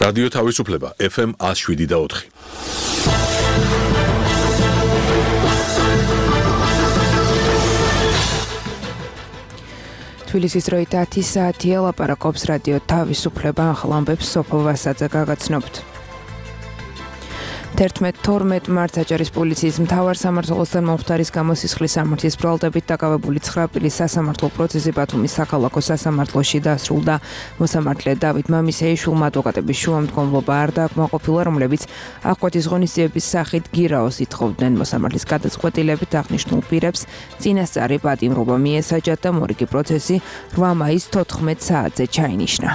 რადიო თავისუფლება FM 107.4. თბილისის დროით 10 საათია, ლაპარაკობს რადიო თავისუფლება, ახალ ამბებს სოფო ვასაძე გაგაცნობთ. 11-12 მარტს აჭარის პოლიციის მთავარ სამმართველოსთან მომხდარის გამო სისხლის სამართლის ბრალდებით დაკავებული 9 წლის სასამართლო პროცესი ბათუმის საქალაქო სასამართლოში დასრულდა. მოსამართლე დავით მამისეიშვილმა ადვოკატების შუამდგომლობა არ დააკმაყოფილა, რომლებიც აღკვეთის ღონისძიების სახით გირაოს ითხოვდნენ. მოსამართლის გადაწყვეტილებით აღნიშნულ პირებს წინასწარი პატიმრობა მიესაჯათ და მორიგი პროცესი 8 მაისს 14 საათზე ჩაინიშნა.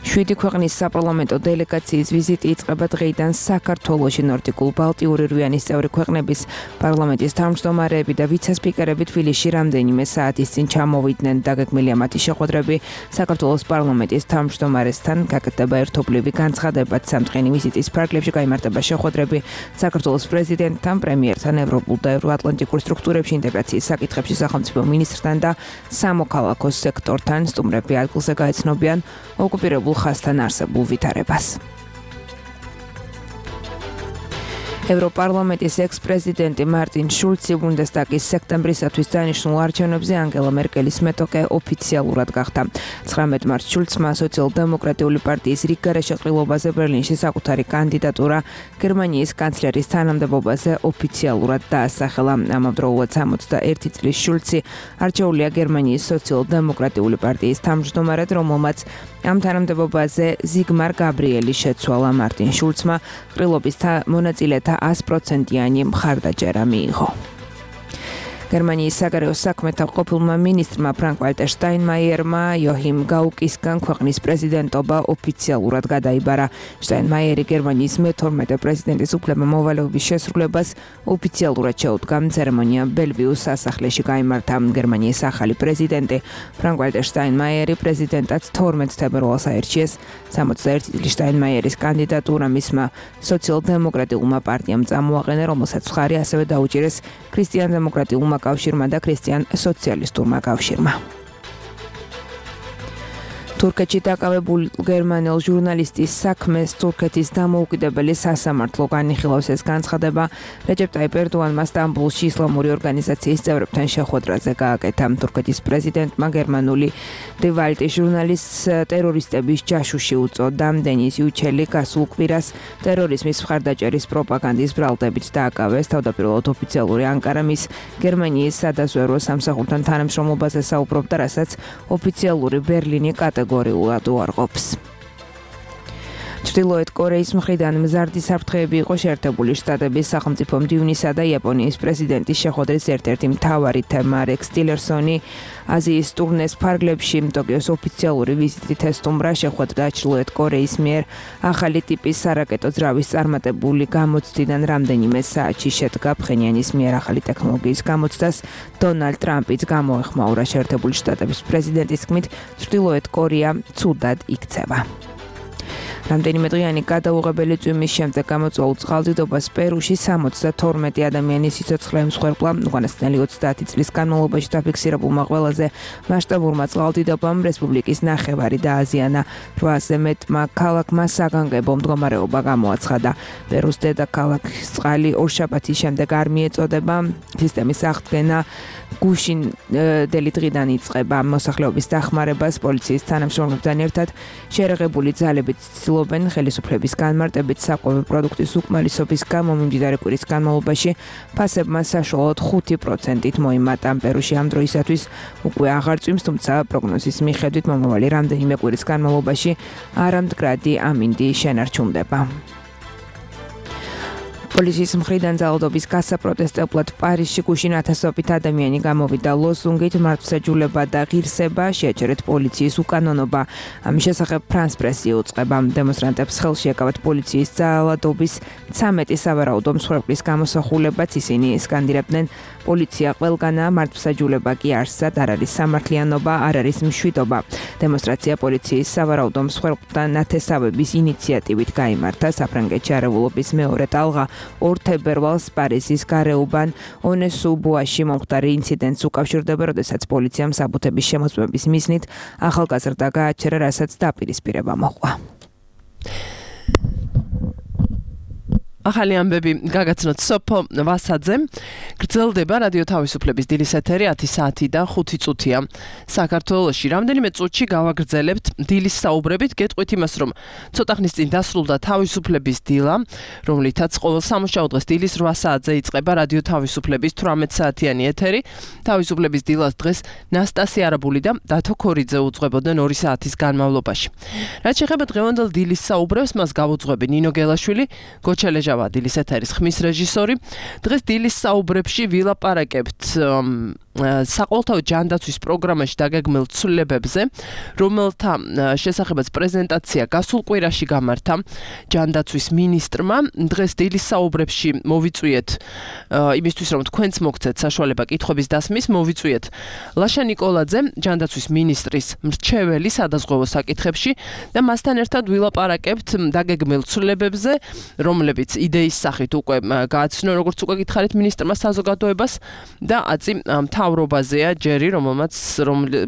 7 ქვეყნის საპარლამენტო დელეგაციის ვიზიტი იწყება დღეიდან საქართველოში. ნორდიკულ ბალტიური რვიანის წევრი ქვეყნების პარლამენტის თავმჯდომარეები და ვიცე-სპიკერები თბილისში რამდენიმე საათის წინ ჩამოვიდნენ. დაგეგმილია მათი შეხვედრები საქართველოს პარლამენტის თავმჯდომარესთან. გაკეთდება ერთობლივი განცხადებაც. სამწყენი ვიზიტის ფარგლებში გაიმართება შეხვედრები საქართველოს პრეზიდენტთან, პრემიერთან, ევროპულ და ევროატლანტიკურ სტრუქტურებში ინტეგრაციის საკითხებში სახელმწიფო მინისტრთან და სამოქალაქო სექტორთან. სტუმრები ადგილზე გაეცნობიან ოკუპირებულ ხაზთან არსებულ ვითარებას. ევროპარლამენტის ექს-პრეზიდენტი მარტინ შულცი ბუნდესტაგის სექტემბრისათვის დანიშნულ არჩევნებზე ანგელა მერკელის მეტოქე ოფიციალურად გახდა. 19 მარტს შულცმა სოციალ-დემოკრატიული პარტიის რიგგარეშე ყრილობაზე ბერლინში საკუთარი კანდიდატურა გერმანიის კანცლერის თანამდებობაზე ოფიციალურად დაასახელა. ამავდროულად 61 წლის შულცი არჩეულია გერმანიის სოციალ-დემოკრატიული პარტიის თავმჯდომარედ, რომელმაც ამ თანამდებობაზე ზიგმარ გაბრიელი შეცვალა. მარტინ შულცმა ყრილობის მონაწილეთა 100%-იანი მხარდაჭერა მიიღო. გერმანიის საგარეო საქმეთა ყოფილმა მინისტრმა ფრანკ-ვალტერ შტაინმაიერმა იოჰიმ გაუკისგან ქვეყნის პრეზიდენტობა ოფიციალურად გადაიბარა. შტაინმაიერი გერმანიის მე-12 პრეზიდენტის უფლება-მოვალეობის შესრულებას ოფიციალურად შეუდგა. ცერემონია ბელვიუს სასახლეში გაიმართა. გერმანიის ახალი პრეზიდენტი ფრანკ-ვალტერ შტაინმაიერი პრეზიდენტად 12 თებერვალს აირჩიეს. 61 წლის შტაინმაიერის კანდიდატურა მისმა სოციალ-დემოკრატიულმა პარტიამ წამოაყენა, რომელსაც მხარი ასევე დაუჭირეს ქრისტიან-დემოკრატიულმა კავშირმა და ქრისტიან-სოციალისტურმა კავშირმა. თურქეთში დაკავებულ გერმანელ ჟურნალისტის საქმეს თურქეთის დამოუკიდებელი სასამართლო განიხილავს. ეს განცხადება რეჯეპ ტაიპ ერდოანმა სტამბოლში ისლამური ორგანიზაციის წევრებთან შეხვედრაზე გააკეთა. თურქეთის პრეზიდენტმა გერმანული დი ვალტის ჟურნალისტს ტერორისტების ჯაშუში უწოდა. დენის იუჩელი გასულ კვირას ტერორიზმის მხარდაჭერის პროპაგანდის ბრალდებით დააკავეს. თავდაპირველად ოფიციალური ანკარა მის გერმანიის სადაზვერვო სამსახურთან თანამშრომლობაზე საუბრობდა, რასაც ოფიციალური ბერლინი კატეგორიულად უარყოფს. ჩრდილოეთ კორეის მხრიდან მზარდი საფრთხეები იყო შეერთებული შტატების სახელმწიფო მდივნისა და იაპონიის პრეზიდენტის შეხვედრის ერთ-ერთი მთავარი თემა. რექს ტილერსონი აზიის ტურნეს ფარგლებში ტოკიოს ოფიციალური ვიზიტით ესტუმრა. შეხვედრა ჩრდილოეთ კორეის მიერ ახალი ტიპის სარაკეტო ძრავის წარმატებული გამოცდიდან რამდენიმე საათში შედგა. ფხენიანის მიერ ახალი ტექნოლოგიის გამოცდას დონალდ ტრამპიც გამოეხმაურა. შეერთებული შტატების პრეზიდენტის თქმით, ჩრდილოეთ კორეა ცუდად იქცევა. რამდენიმე დღიანი გადაუღებელი წვიმის შემდეგ გამოწვეულ წყალდიდობას პერუში 72 ადამიანის სიცოცხლე ემსხვერპლა. უკანასკნელი 30 წლის განმავლობაში დაფიქსირებულმა ყველაზე მასშტაბურმა წყალდიდობამ რესპუბლიკის ნახევარი დააზიანა. 800-ზე მეტმა ქალაქმა საგანგებო მდგომარეობა გამოაცხადა. პერუს დედაქალაქის წყალი ორშაბათის შემდეგ არ მიეწოდება. სისტემის აღდგენა გუშინდელი დღიდან იწყება. მოსახლეობის დახმარებას პოლიციის თანამშრომლებთან ერთად შეერაღებული ძალებით ცდილობენ ხელისუფლების განმარტებით საკვები პროდუქტის უკმარისობის გამო მიმდინარე კვირის განმავლობაში ფასებმა საშუალოდ 5%-ით მოიმატა. პერუში ამ დროისათვის უკვე აღარ წვიმს, თუმცა პროგნოზის მიხედვით მომავალი რამდენიმე კვირის განმავლობაში არამდგრადი ამინდი შენარჩუნდება. პოლიციის მხრიდან ძალადობის გასაპროტესტებლად პარიზში გუშინ 1000-ობით ადამიანი გამოვიდა ლოზუნგით მართლმსაჯულება და ღირსება, შეაჩერეთ პოლიციის უკანონობა. ამის შესახებ ფრანს პრესი უწყება. დემონსტრანტებს ხელში ეკავათ პოლიციის ძალადობის 13 სავარაუდო მსხვერპლის გამოსახულებაც. ისინი სკანდირებდნენ პოლიცია ყველგანა, მართლმსაჯულება კი არსად არ არის სამართლიანობა, არ არის მშვიდობა. დემონსტრაცია პოლიციის სავარაუდო მსხვერპლთა ნათესავების ინიციატივით გაიმართა. საფრანგეთში არავულობის მეორე ტალღა 2 თებერვალს პარიზის გარეუბან ონესუბუაში მომხდარი ინციდენტს უკავშირდება, როდესაც პოლიციამ საბუთების შემოწმების მიზნით ახალგაზრდა გააჩერა, რასაც დაპირისპირება მოჰყვა. ახალი ამბები გაგაცნოთ სოფო ვასაძემ. გრძელდება რადიო თავისუფლების დილის ეთერი 10 საათი და 5 წუთია. საქართველოში რამდენიმე წუთში გავაგრძელებთ დილის საუბრებით, გეტყვით იმას, რომ ცოტა ხნის წინ დასრულდა თავისუფლების დილა, რომლითაც ყოველ სამუშაო დღეს დილის 8 საათზე იწყება რადიო თავისუფლების 18 საათიანი ეთერი. თავისუფლების დილას დღეს ნასტასი არაბული და დათო ქორიძე უძღვებოდნენ 2 საათის განმავლობაში. რაც შეეხება დღევანდელ დილის საუბრებს, მას გავუძღვები ნინო გელაშვილი, გოჩელეჟა დილის ეთერის ხმის რეჟისორი. დღეს დილის საუბრებში ვილაპარაკებთ საყოველთაო ჯანდაცვის პროგრამაში დაგეგმილ ცვლილებებზე, რომელთა შესახებაც პრეზენტაცია გასულ კვირაში გამართა ჯანდაცვის მინისტრმა. დღეს დილის საუბრებში მოვიწვიეთ იმისთვის, რომ თქვენც მოგცეთ საშუალება კითხვების დასმის, მოვიწვიეთ ლაშა ნიკოლაძე, ჯანდაცვის მინისტრის მრჩეველი სადაზღვევო საკითხებში და მასთან ერთად ვილაპარაკებთ დაგეგმილ ცვლილებებზე, რომლებიც იდეის სახით უკვე გააცნო, როგორც უკვე გითხარით მინისტრმა საზოგადოებას და აწი მთავრობაზეა ჯერი, რომელმაც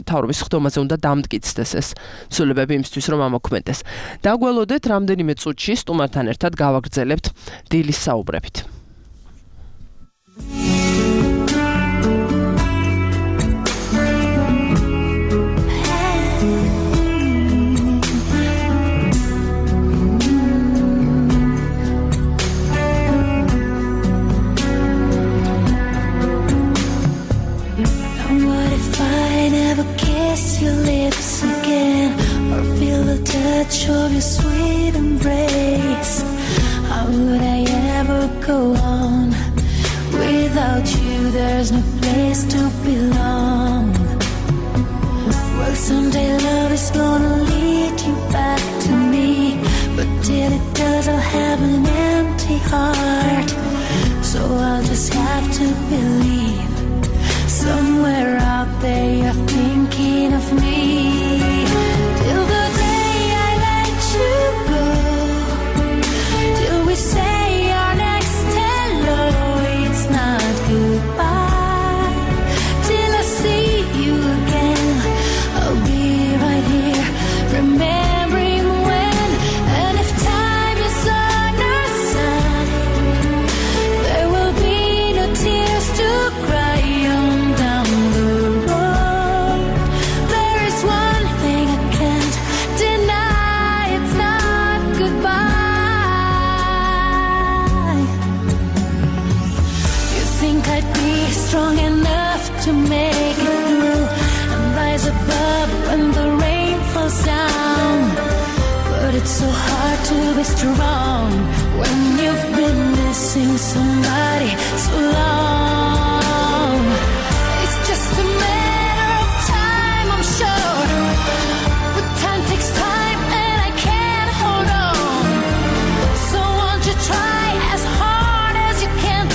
მთავრობის ხდომაზე უნდა დამტკიცდეს ეს ცვლილებები იმისთვის, რომ ამოქმედდეს. დაგველოდეთ რამდენიმე წუთში სტუმართან ერთად გავაგრძელებთ დილის საუბრებით. Your lips again, or feel the touch of your sweet embrace. How would I ever go on without you? There's no place to belong. Well, someday love is gonna lead you back to me, but till it does, I'll have an empty heart. So I'll just have to believe somewhere out there you're thinking of me. Till the day I let you go, till we say our next hello, it's not goodbye. Till I see you again, I'll be right here, remembering when. And if time is on our side, there will be no tears to cry on. Strong enough to make it through and rise above when the rain falls down. But it's so hard to be strong when you've been missing somebody so long. It's just a matter of time, I'm sure. But time takes time and I can't hold on. So won't you try as hard as you can to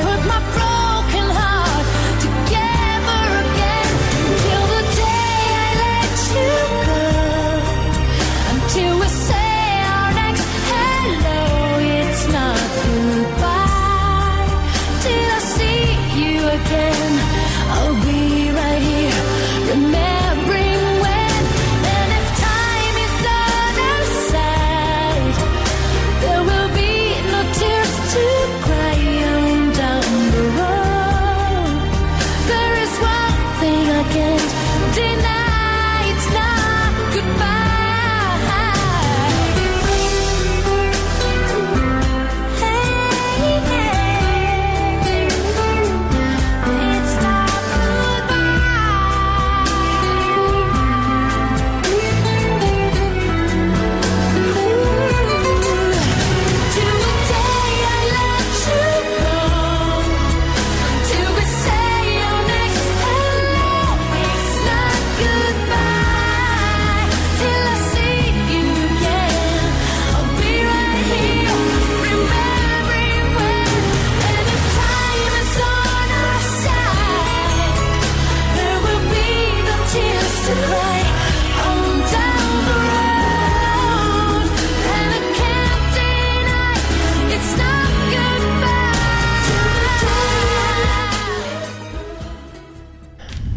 put my broken heart together again. Till the day I let you go, until we say our next hello, it's not goodbye. Till I see you again, I'll be right here, remembering when. And if time is on our side, there will be no tears to cry on down the road. There is one thing I can't deny, it's not goodbye. Hey, it's not till the day I let you go, till we say our next hello, it's not goodbye.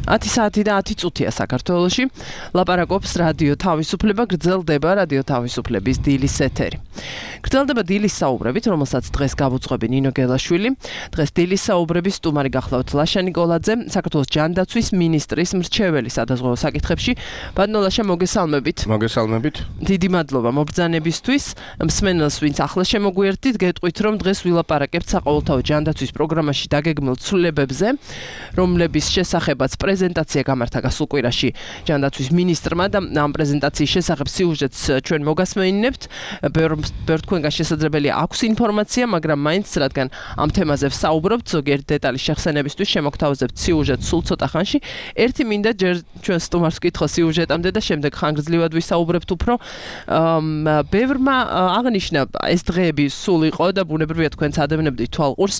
10 საათი და 10 წუთია საქართველოში. ლაპარაკობს რადიო თავისუფლება, გრძელდება რადიო თავისუფლების დილის ეთერი. გრძელდება დილის საუბრებით, რომელსაც დღეს გავუძღვები ნინო გელაშვილი. დღეს დილის საუბრების სტუმარი გახლავთ ლაშა ნიკოლაძე, საქართველოს ჯანდაცვის მინისტრის მრჩეველი სადაზღვევო საკითხებში. ბატონო ლაშა, მოგესალმებით. მოგესალმებით. დიდი მადლობა მობრძანებისთვის. მსმენელს, ვინც ახლა შემოგვიერთდით, გეტყვით, რომ დღეს ვილაპარაკებთ საყოველთაო ჯანდაცვის პროგრამაში დაგეგმილ ცვლილებებზე, რომლების შესახებაც პრეზენტაცია გამართა გასულ კვირაში ჯანდაცვის მინისტრმა და ამ პრეზენტაციის შესახებ სიუჟეტს ჩვენ მოგასმენინებთ. ბევრ თქვენგან შესაძლებელია აქვს ინფორმაცია, მაგრამ მაინც რადგან ამ თემაზე ვსაუბრობთ, ზოგიერთი დეტალის შეხსენებისთვის შემოგთავაზებთ სიუჟეტს სულ ცოტა ხანში. ერთი მინდა ჯერ ჩვენ სტუმარს ვკითხო სიუჟეტამდე და შემდეგ ხანგრძლივად ვისაუბრებთ უფრო. ბევრმა აღნიშნა ეს დღეები სულ იყო და ბუნებრივია თქვენც ადევნებდით თვალყურს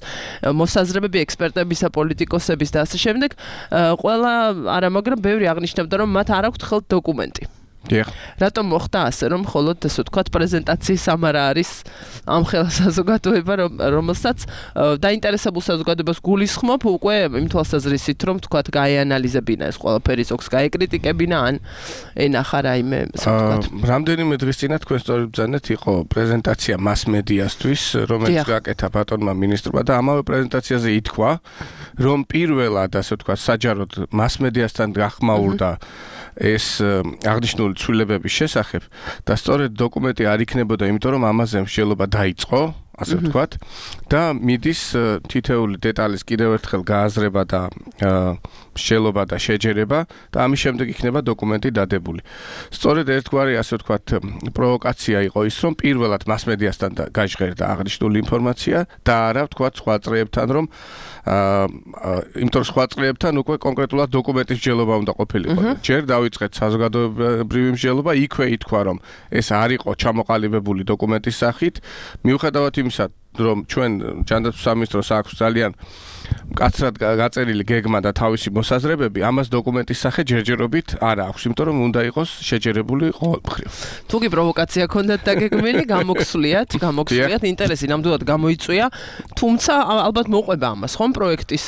მოსაზრებები ექსპერტებისა, პოლიტიკოსების და ასე შემდეგ. ყველა არა, მაგრამ ბევრი აღნიშნავდა, რომ მათ არ აქვთ ხელთ დოკუმენტი. რატომ მოხდა ასე, რომ მხოლოდ ესე ვთქვათ პრეზენტაციის ამარა არის ამ ხელა საზოგადოება, რომელსაც დაინტერესებულ საზოგადოებას გულისხმობ უკვე იმ თვალსაზრისით, რომ ვთქვათ გაეანალიზებინა ეს ყველაფერი, ზოგს გაეკრიტიკებინა ან ენახა რაიმე, ასე ვთქვათ. რამდენიმე დღის წინა თქვენ სწორედ ბრძანეთ იყო პრეზენტაცია მას-მედიასთვის, რომელიც გააკეთა ბატონმა მინისტრმა და ამავე პრეზენტაციაზე ითქვა, რომ პირველად ასე ვთქვათ საჯაროდ მას-მედიასთან გახმაურდა ეს აღნიშნული ცვლილებების შესახებ და სწორედ დოკუმენტი არ იქნებოდა, იმიტომ რომ ამაზე მსჯელობა დაიწყო, ასე ვთქვათ, და მიდის თითეული დეტალის კიდევ ერთხელ გააზრება და მსჯელობა და შეჯერება და ამის შემდეგ იქნება დოკუმენტი დადებული. სწორედ ერთგვარი, ასე ვთქვათ, პროვოკაცია იყო ის, რომ პირველად მას-მედიასთან გაჟღერდა აღნიშნული ინფორმაცია და არა ვთქვათ სხვა წრეებთან, რომ იმიტომ სხვა წრეებთან უკვე კონკრეტულად დოკუმენტის მსჯელობა უნდა ყოფილიყო. ჯერ დავიწყეთ საზოგადოებრივი მსჯელობა, იქვე ითქვა, რომ ეს არ იყო ჩამოყალიბებული დოკუმენტის სახით, მიუხედავად იმისა, რომ ჩვენ ჯანდაცვის სამინისტროს აქვს ძალიან მკაცრად გაწერილი გეგმა და თავისი მოსაზრებები, ამას დოკუმენტის სახე ჯერჯერობით არ აქვს, იმიტომ რომ უნდა იყოს შეჯერებული ყოველმხრივ. თუ კი პროვოკაცია ქონდათ დაგეგმილი, გამოგსვლიათ, ინტერესი ნამდვილად გამოიწვია, თუმცა ალბათ მოყვება ამას, ხომ პროექტის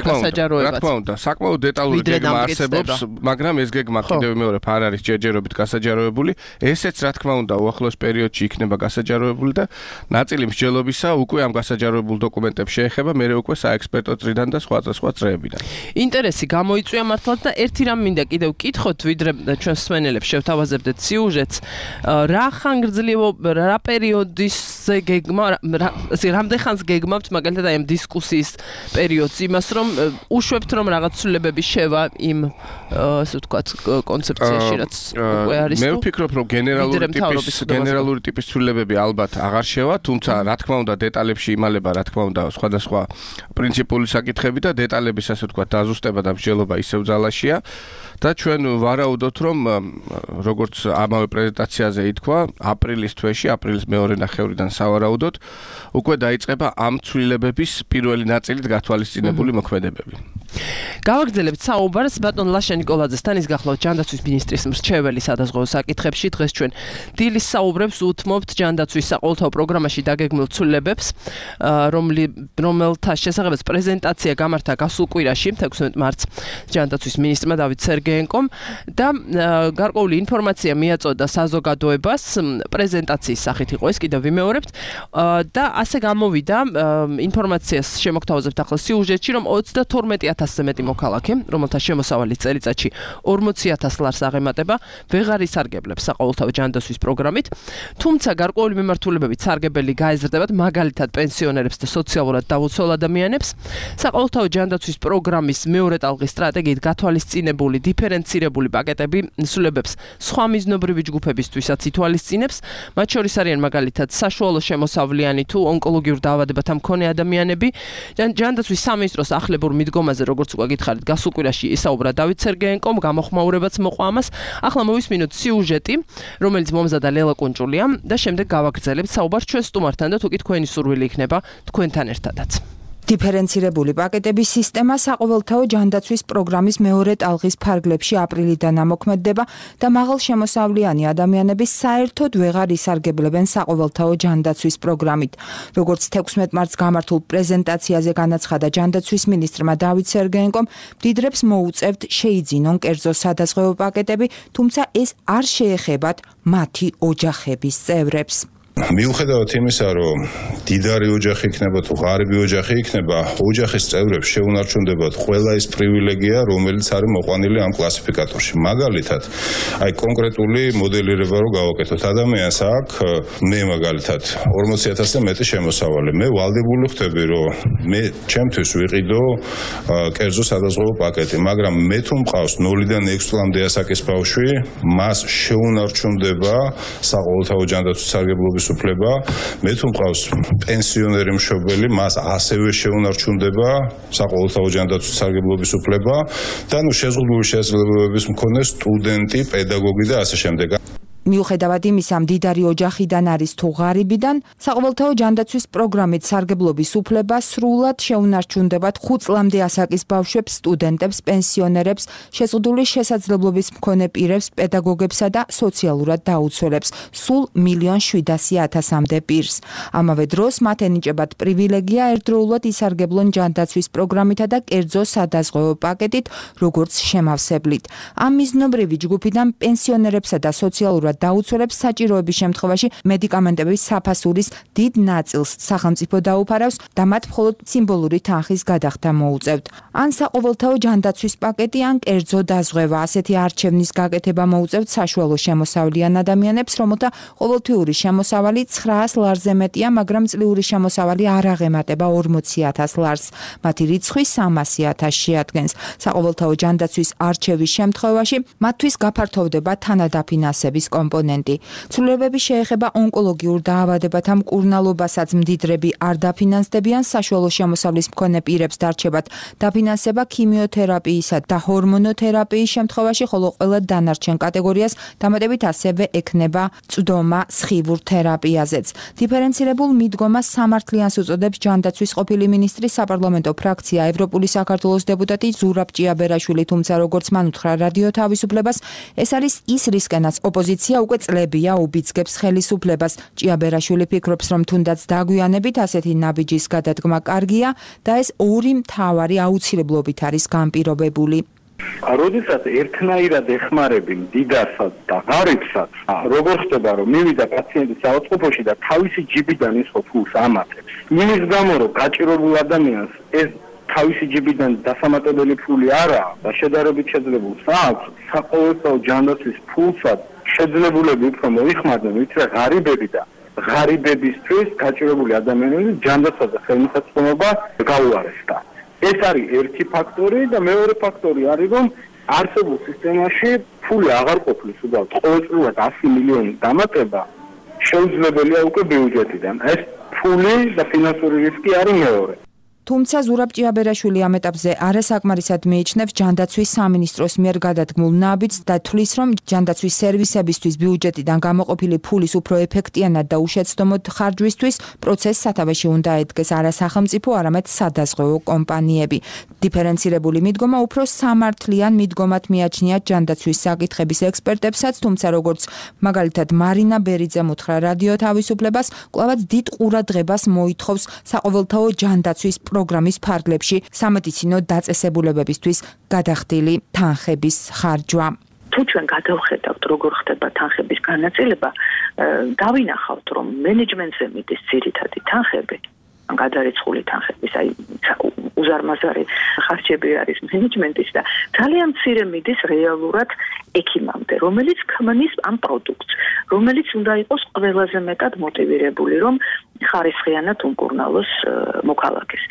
გასაჯაროებაც. რა თქმა უნდა, საკმაოდ დეტალური გეგმა არსებობს, მაგრამ ეს გეგმა კიდევ მეორე არ არის ჯერჯერობით გასაჯაროებული. ესეც რა თქმა უნდა უახლოს პერიოდში იქნება გასაჯაროებული და ნაწილი მსჯელობისა უკვე ამ გასაჯაროებულ დოკუმენტებს შეეხება, მერე უკვე საექსპერტო წრიდან და სხვა წრეებიდან. ინტერესი გამოიწვია მართლაც და ერთი რამ მინდა კიდევ ვკითხოთ, ვიდრე ჩვენ მსმენელებს შევთავაზებდეთ სიუჟეტს, რა ხანგრძლივო, რა პერიოდისზე გეგმა, რამდენ ხანს გეგმავთ მაგალითად აი ამ დისკუსიის პერიოდს, იმას რომ უშვებთ რომ რაღაც ცვლილებები შევა იმ ასე ვთქვათ კონცეფციაში, რაც უკვე არის. მე ვფიქრობ, რომ გენერალური ტიპის ცვლილებები ალბათ აღარ შევა, თუმცა რა თქმა უნდა დეტალებში იმალება, რა თქმა უნდა სხვადასხვა პრინციპული საკითხები და დეტალების ასე ვთქვათ დაზუსტება და მსჯელობა ისევ ძალაშია და ჩვენ ვარაუდობთ, რომ როგორც ამავე პრეზენტაციაზე ითქვა, აპრილის თვეში, აპრილის მეორე ნახევრიდან სავარაუდოდ უკვე დაიწყება ამ ცვლილებების პირველი ნაწილით გათვალისწინებული მოქმედებები. გავაგრძელებთ საუბარს ბატონ ლაშა ნიკოლაძესთან, ის გახლავთ ჯანდაცვის მინისტრის მრჩეველი სადაზღვევო საკითხებში. დღეს ჩვენ დილის საუბრებს უთმობთ ჯანდაცვის საყოველთაო პროგრამაში დაგეგმილ ცვლილებებს, რომელთა შესახებაც პრეზენტაცია გამართა გასულ კვირაში, 16 მარტს ჯანდაცვის მინისტრმა დავით სერგეენკომ და გარკვეული ინფორმაცია მიაწოდა საზოგადოებას, პრეზენტაციის სახით იყო ეს, კიდევ ვიმეორებთ და ასე გამოვიდა ინფორმაციას შემოგთავაზებთ ახლა სიუჟეტში, რომ 32,000-ზე მეტი მოქალაქე, რომელთა შემოსავალი წელიწადში 40,000 ლარს აღემატება, ვეღარ ისარგებლებს საყოველთაო ჯანდაცვის პროგრამით, თუმცა გარკვეული მიმართულებებით სარგებელი გაეზრდებათ, მაგალითად პენსიონერებს და სოციალურად დაუცველ ადამიანებს. საყოველთაო ჯანდაცვის პროგრამის მეორე ტალღის სტრატეგიით გათვალისწინებული დიფერენცირებული პაკეტები ცვლილებებს სხვა მიზნობრივი ჯგუფებისთვისაც ითვალისწინებს, მათ შორის არიან მაგალითად საშუალო შემოსავლიანი თუ ონკოლოგიურ დაავადებათა მქონე ადამიანები. ჯანდაცვის სამინისტროს ახლებურ მიდგომაზე, როგორც უკვე გითხარით, გასულ კვირაში ისაუბრა დავით სერგეენკომ, გამოხმაურებაც მოყვა ამას. ახლა მოვისმინოთ სიუჟეტი, რომელიც მომზადა ლელა კუნჭულია და შემდეგ გავაგრძელებთ საუბარს ჩვენ სტუმართან და თუ კი თქვენი სურვილი იქნება თქვენთან ერთადაც. დიფერენცირებული პაკეტების სისტემა საყოველთაო ჯანდაცვის პროგრამის მეორე ტალღის ფარგლებში აპრილიდან ამოქმედდება და მაღალ შემოსავლიანი ადამიანები საერთოდ ვეღარ ისარგებლებენ საყოველთაო ჯანდაცვის პროგრამით. როგორც 16 მარტს გამართულ პრეზენტაციაზე განაცხადა ჯანდაცვის მინისტრმა დავით სერგეენკომ, მდიდრებს მოუწევთ შეიძინონ კერძო სადაზღვევო პაკეტები, თუმცა ეს არ შეეხებათ მათი ოჯახების წევრებს. მიუხედავად იმისა, რომ დიდარი ოჯახი იქნება თუ ღარიბი ოჯახი იქნება, ოჯახის წევრებს შეუნარჩუნდებათ ყველა ის პრივილეგია, რომელიც არის მოყვანილი ამ კლასიფიკატორში. მაგალითად, აი კონკრეტული მოდელირება რო გავაკეთოთ, ადამიანს აქვს მე მაგალითად 40,000 და მეტი შემოსავალი. მე ვალდებული ხდები, რომ მე ჩემთვის ვიყიდო კერძო სადაზღვევო პაკეტი, მაგრამ მე თუ მყავს 0-დან 6 წლამდე ასაკის ბავშვი, მას შეუნარჩუნდება საყოველთაო ჯანდაცვის სარგებლობის უფლება, მე თუ მყავს პენსიონერი მშობელი, მას ასევე შეუნარჩუნდება საყოველთაო ჯანდაცვის სარგებლობის უფლება და შეზღუდული შესაძლებლობების მქონე სტუდენტი, პედაგოგი და ასე შემდეგ. მიუხედავად იმისა, მდიდარი ოჯახიდან არის თუ ღარიბიდან, საყოველთაო ჯანდაცვის პროგრამით სარგებლობის უფლება სრულად შეუნარჩუნდებათ 5 წლამდე ასაკის ბავშვებს, სტუდენტებს, პენსიონერებს, შეზღუდული შესაძლებლობის მქონე პირებს, პედაგოგებსა და სოციალურად დაუცველებს, სულ 1,700,000-მდე პირს. ამავე დროს მათ ენიჭებათ პრივილეგია ერთდროულად ისარგებლონ ჯანდაცვის პროგრამითა და კერძო სადაზღვევო პაკეტით, როგორც შემავსებლით. ამ მიზნობრივი ჯგუფიდან პენსიონერებსა და სოციალურად დაუცველებს საჭიროების შემთხვევაში მედიკამენტების საფასურის დიდ ნაწილს სახელმწიფო დაუფარავს და მათ მხოლოდ სიმბოლური თანხის გადახდა მოუწევთ. ან საყოველთაო ჯანდაცვის პაკეტი, ან კერძო დაზღვევა, ასეთი არჩევნის გაკეთება მოუწევთ საშუალო შემოსავლიან ადამიანებს, რომელთა ყოველთვიური შემოსავალი 900 ლარზე მეტია, მაგრამ წლიური შემოსავალი არ აღემატება 40,000 ლარს. მათი რიცხვი 300,000 შეადგენს. საყოველთაო ჯანდაცვის არჩევის შემთხვევაში მათთვის გაფართოვდება თანადაფინანსების კომპონენტი. ცვლილებები შეეხება ონკოლოგიურ დაავადებათა მკურნალობასაც მდიდრები არ დაფინანსდებიან, საშუალო შემოსავლის მქონე პირებს დარჩებათ დაფინანსება ქიმიოთერაპიისა და ჰორმონოთერაპიის შემთხვევაში, ხოლო ყველა დანარჩენ კატეგორიას დამატებით ასევე ექნება წვდომა სხივურ თერაპიაზეც. დიფერენცირებულ მიდგომას სამართლიანს უწოდებს ჯანდაცვის ყოფილი მინისტრის საპარლამენტო ფრაქცია ევროპული საქართველოს დეპუტატი ზურაბ ჭიაბერაშვილი, თუმცა როგორც მან უთხრა რადიო თავისუფლებას, ეს არის ის რისკენაც ოპოზიცია უკვე წლებია უბიძგებს ხელისუფლებას. ჭიაბერაშვილი ფიქრობს, რომ თუნდაც დაგვიანებით ასეთი ნაბიჯის გადადგმა კარგია და ეს ორი მთავარი აუცილებლობით არის განპირობებული. როდესაც ერთნაირად ეხმარები მდიდარსაც და ღარიბსაც, როგორ ხდება, რომ მივიდა პაციენტი საავადმყოფოში და თავისი ჯიბიდან ის ფულს ამატებს. იმის გამო, რომ გაჭირებულ ადამიანს ეს თავისი ჯიბიდან დასამატებელი ფული არაა და შედარებით შეძლებულს აქვს, საყოველთაო ჯანდაცვის ფულსაც შეძლებულები უფრო მოიხმარდნენ, ვიდრე ღარიბები და ღარიბებისთვის გაჭირებული ადამიანების ჯანდაცვა და ხელმისაწვდომობა გაუარესდა. ეს არის ერთი ფაქტორი და მეორე ფაქტორი არის, რომ არსებულ სისტემაში ფული აღარ ყოფნის, უბრალოდ ყოველწლიურად 100 მილიონი დამატება შეუძლებელია უკვე ბიუჯეტიდან. ეს ფული და ფინანსური რისკი არის მეორე. თუმცა ზურაბ ჭიაბერაშვილი ამ ეტაპზე არასაკმარისად მიიჩნევს ჯანდაცვის სამინისტროს მიერ გადადგმულ ნაბიჯს და თვლის, რომ ჯანდაცვის სერვისებისთვის ბიუჯეტიდან გამოყოფილი ფულის უფრო ეფექტიანად და უშეცდომოდ ხარჯვისთვის პროცესს სათავეში უნდა ედგეს არა სახელმწიფო, არამედ სადაზღვევო კომპანიები. დიფერენცირებული მიდგომა უფრო სამართლიან მიდგომად მიაჩნიათ ჯანდაცვის საკითხების ექსპერტებსაც, თუმცა როგორც მაგალითად მარინა ბერიძემ უთხრა რადიო თავისუფლებას, კვლავაც დიდ ყურადღებას მოითხოვს საყოველთაო ჯანდაცვის პროგრამის ფარგლებში სამედიცინო დაწესებულებებისთვის გადახდილი თანხების ხარჯვა. თუ ჩვენ გადავხედავთ, როგორ ხდება თანხების განაწილება, დავინახავთ, რომ მენეჯმენტზე მიდის ძირითადი თანხები, გადარიცხული თანხების, აი უზარმაზარი ხარჯები არის მენეჯმენტის და ძალიან მცირე მიდის რეალურად ექიმამდე, რომელიც ქმნის ამ პროდუქტს, რომელიც უნდა იყოს ყველაზე მეტად მოტივირებული, რომ ხარისხიანად უმკურნალოს მოქალაქეს.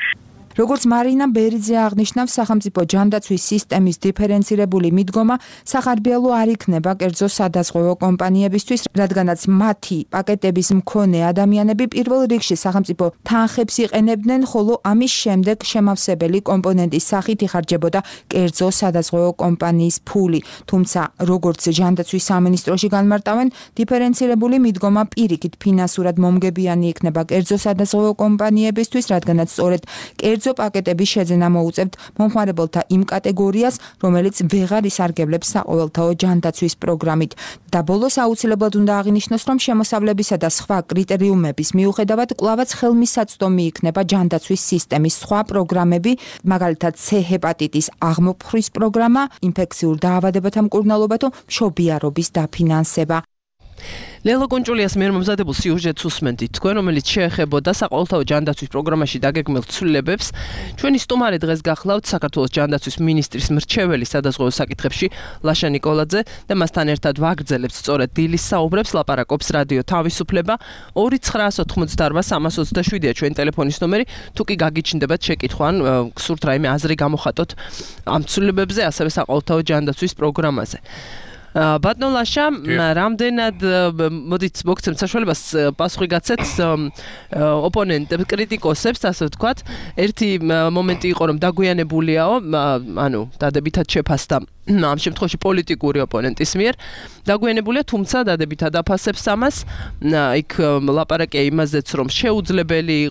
როგორც მარინა ბერიძე აღნიშნავს, სახელმწიფო ჯანდაცვის სისტემის დიფერენცირებული მიდგომა სახარბიელო არ იქნება კერძო სადაზღვევო კომპანიებისთვის, რადგანაც მათი პაკეტების მქონე ადამიანები პირველ რიგში სახელმწიფო თანხებს იყენებდნენ, ხოლო ამის შემდეგ შემავსებელი კომპონენტის სახით იხარჯებოდა კერძო სადაზღვევო კომპანიის ფული. თუმცა, როგორც ჯანდაცვის სამინისტროში განმარტავენ, დიფერენცირებული მიდგომა პირიქით ფინანსურად მომგებიანი იქნება კერძო სადაზღვევო კომპანიებისთვის, რადგანაც სწორედ კერძო პაკეტების შეძენა მოუწევთ მომხმარებელთა იმ კატეგორიას, რომელიც ვეღარ ისარგებლებს საყოველთაო ჯანდაცვის პროგრამით. და ბოლოს აუცილებლად უნდა აღინიშნოს, რომ შემოსავლებისა და სხვა კრიტერიუმების მიუხედავად კვლავაც ხელმისაწვდომი იქნება ჯანდაცვის სისტემის სხვა პროგრამები, მაგალითად C ჰეპატიტის აღმოფხვრის პროგრამა, ინფექციურ დაავადებათა მკურნალობა თუ მშობიარობის დაფინანსება. ლელო კონჭულიას მიერ მომზადებულ სიუჟეტს უსმენთ თქვენ, რომელიც შეეხებოდა საყოველთაო ჯანდაცვის პროგრამაში დაგეგმილ ცვლილებებს. ჩვენი სტუმარი დღეს გახლავთ საქართველოს ჯანდაცვის მინისტრის მრჩეველი სადაზღვევო საკითხებში ლაშა ნიკოლაძე და მასთან ერთად ვაგრძელებთ სწორედ დილის საუბრებს. ლაპარაკობს რადიო თავისუფლება 2988327-ია ჩვენი ტელეფონის ნომერი. თუ კი გაგიჩნდებათ შეკითხვა, გსურთ რაიმე აზრი გამოხატოთ ამ ცვლილებებზე, ასევე საყოველთაო ჯანდაცვის პროგრამაზე. ბატონო ლაშა, რამდენად მოდით მოგცემთ საშუალებას პასუხი გაცეთ ოპონენტებს, კრიტიკოსებს, ასე ვთქვათ. ერთი მომენტი იყო, რომ დაგვიანებულიაო, ანუ დადებითად შეფასდა ამ შემთხვევაში პოლიტიკური ოპონენტის მიერ. დაგვიანებულია, თუმცა დადებითად აფასებს ამას. იქ ლაპარაკია იმაზეც, რომ შეუძლებელია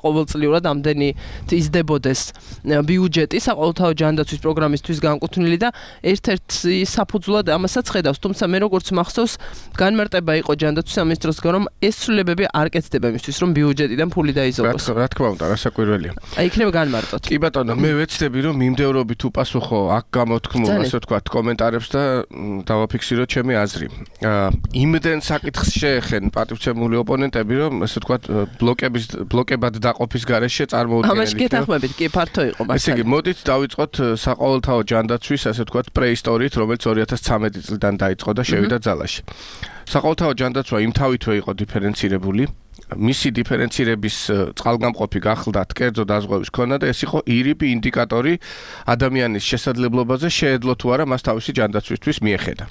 ყოველწლიურად ამდენი იზრდებოდეს ბიუჯეტი საყოველთაო ჯანდაცვის პროგრამისთვის განკუთვნილი და ერთ-ერთი საფუძვლად ამასაც ხედავს. თუმცა მე როგორც მახსოვს, განმარტება იყო ჯანდაცვის სამინისტროსგან, რომ ეს ცვლილებები არ კეთდება იმისთვის, რომ ბიუჯეტიდან ფული დაიზოგოს. რა თქმა უნდა, რასაკვირველია. იქნება განმარტოთ. კი ბატონო, მე ვეცდები, რომ მიმდევრობით უპასუხო აქ გამოთქმულ, ასე ვთქვათ, კომენტარებს და დავაფიქსიროთ ჩემი აზრი. იმდენ საკითხს შეეხენ პატივცემული ოპონენტები, რომ ასე ვთქვათ, ბლოკებად დაყოფის გარეშე წარმოუდგენელი. ამაში გეთანხმებით, კი ფართო იყო მასალა. ესე იგი, მოდით დავიწყოთ საყოველთაო ჯანდაცვის, ასე ვთქვათ, პრეისტორიით, რომელიც 2013 წლიდან დაიწყო და შევიდა ძალაში. საყოველთაო ჯანდაცვა იმთავითვე იყო დიფერენცირებული. მისი დიფერენცირების წყალგამყოფი გახლდათ კერძო დაზღვევის ქონა და ეს იყო ირიბი ინდიკატორი ადამიანის შესაძლებლობაზე შეეძლო თუ არა მას თავისი ჯანდაცვისთვის მიეხედა.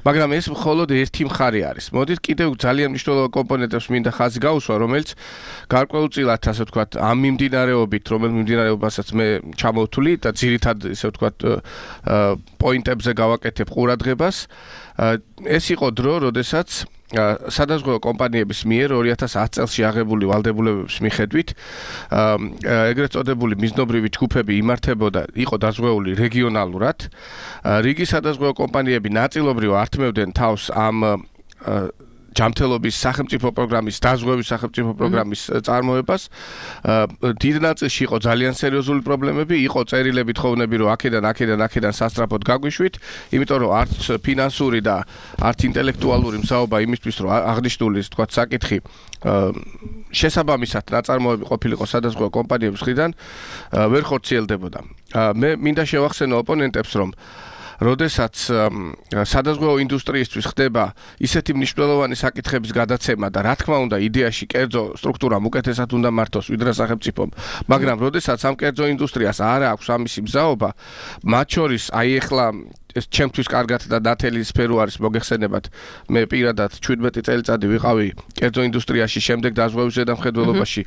მაგრამ ეს მხოლოდ ერთი მხარე არის. მოდით კიდევ ძალიან მნიშვნელოვან კომპონენტებს მინდა ხაზი გაუსვა, რომელიც გარკვეულწილად, ასე ვთქვათ, ამ მიმდინარეობით, რომელიც მიმდინარეობასაც მე ჩამოვთვლი და ძირითად, ესე ვთქვათ, პოინტებზე გავაკეთებ ყურადღებას. ეს იყო დრო, როდესაც სადაზღვევო კომპანიების მიერ 2010 წელს აღებული ვალდებულებების მიხედვით ეგრეთ წოდებული მიზნობრივი ჯგუფები იმართებოდა, იყო დაზღვეული რეგიონალურად. რიგი სადაზღვევო კომპანიები ნაწილობრივ ართმევდნენ თავს ამ ჯანმრთელობის სახელმწიფო პროგრამის, დაზღვევის სახელმწიფო პროგრამის წარმოებას. დიდ ნაწილში იყო ძალიან სერიოზული პრობლემები, იყო წერილები თხოვნები, რომ აქედან სასწრაფოდ გაგვიშვით, იმიტომ რომ არც ფინანსური და არც ინტელექტუალური მზაობა იმისთვის, რომ აღნიშნული, თქვა, საკითხი შესაბამისად ნაწარმოები ყოფილიყო სადაზღვევო კომპანიების მხრიდან, ვერ ხორციელდებოდა. მე მინდა შევახსენო ოპონენტებს, რომ როდესაც სადაზღვევო ინდუსტრიისთვის ხდება ისეთი მნიშვნელოვანი საკითხების გადაცემა და რა თქმა უნდა იდეაში კერძო სტრუქტურამ უკეთესად უნდა მართოს ვიდრე სახელმწიფომ, მაგრამ როდესაც ამ კერძო ინდუსტრიას არ აქვს ამისი მზაობა, მათ შორის აი ეხლა ეს ჩემთვის კარგად და ნათელი სფერო არის მოგეხსენებათ. მე პირადად 17 წელიწადი ვიყავი კერძო ინდუსტრიაში, შემდეგ დაზღვევის ზედამხედველობაში,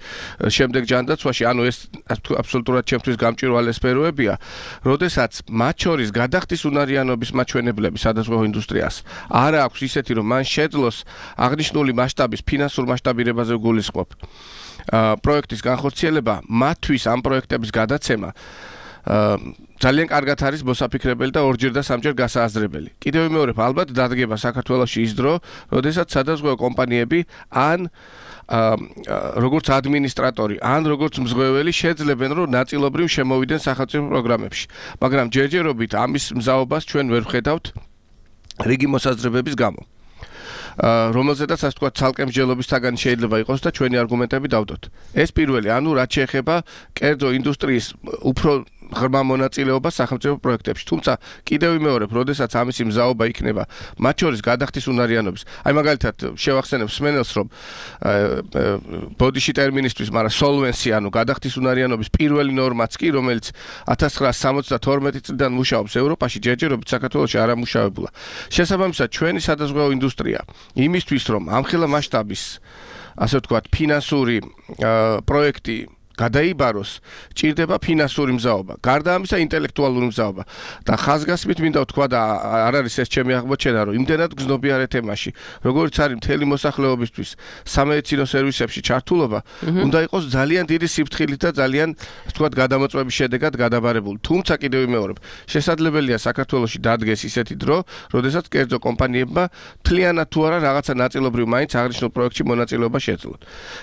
შემდეგ ჯანდაცვაში, ანუ ეს აბსოლუტურად ჩემთვის გამჭვირვალე სფეროებია, როდესაც მათ შორის გადახდის უნარიანობის მაჩვენებლები სადაზღვევო ინდუსტრიას არ აქვს ისეთი, რომ მან შეძლოს აღნიშნული მასშტაბის ფინანსურ მასშტაბირებაზე გულისხმობ. პროექტის განხორციელება, მათთვის ამ პროექტების გადაცემა ძალიან კარგად არის მოსაფიქრებელი და ორჯერ და სამჯერ გასააზრებელი. კიდევ ვიმეორებ, ალბათ დადგება საქართველოში ის დრო, როდესაც სადაზღვევო კომპანიები ან როგორც ადმინისტრატორი, ან როგორც მზღვეველი შეძლებენ, რომ ნაწილობრივ შემოვიდნენ სახელმწიფო პროგრამებში. მაგრამ ჯერჯერობით ამის მზაობას ჩვენ ვერ ვხედავთ რიგი მოსაზრებების გამო. რომელზედაც ასე ვთქვათ, ცალკე მსჯელობისთაგან შეიძლება იყოს და ჩვენი არგუმენტები დავდოთ. ეს პირველი, ანუ რაც შეეხება კერძო ინდუსტრიის უფრო ღრმა მონაწილეობა სახელმწიფო პროექტებში. თუმცა კიდევ ვიმეორებ, როდესაც ამისი მზაობა იქნება, მათ შორის გადახდის უნარიანობის. აი მაგალითად შევახსენებ სმენელს, რომ ბოდიში ტერმინისთვის, მაგრამ solvency, ანუ გადახდის უნარიანობის პირველი ნორმაც კი, რომელიც 1972 წლიდან მუშაობს ევროპაში, ჯერჯერობით საქართველოში არ ამუშავებულა. შესაბამისად, ჩვენი სადაზღვევო ინდუსტრია იმისთვის, რომ ამხელა მასშტაბის, ასე ვთქვათ, ფინანსური პროექტი გადაიბაროს, ჭირდება ფინანსური მზაობა. გარდა ამისა, ინტელექტუალური მზაობა. და ხაზგასმით მინდა ვთქვა და არ არის ეს ჩემი აღმოჩენა, რომ იმდენად გზნობიარე თემაში, როგორც არის მთელი მოსახლეობისთვის სამედიცინო სერვისებში ჩართულობა, უნდა იყოს ძალიან დიდი სიფრთხილით და ძალიან, ვთქვათ, გადამოწმების შედეგად გადაბარებული. თუმცა კიდევ ვიმეორებ, შესაძლებელია საქართველოში დადგეს ისეთი დრო, როდესაც კერძო კომპანიებმა მთლიანად თუ არა რაღაცა ნაწილობრივ მაინც აღნიშნულ პროექტში მონაწილეობა შეძლოთ.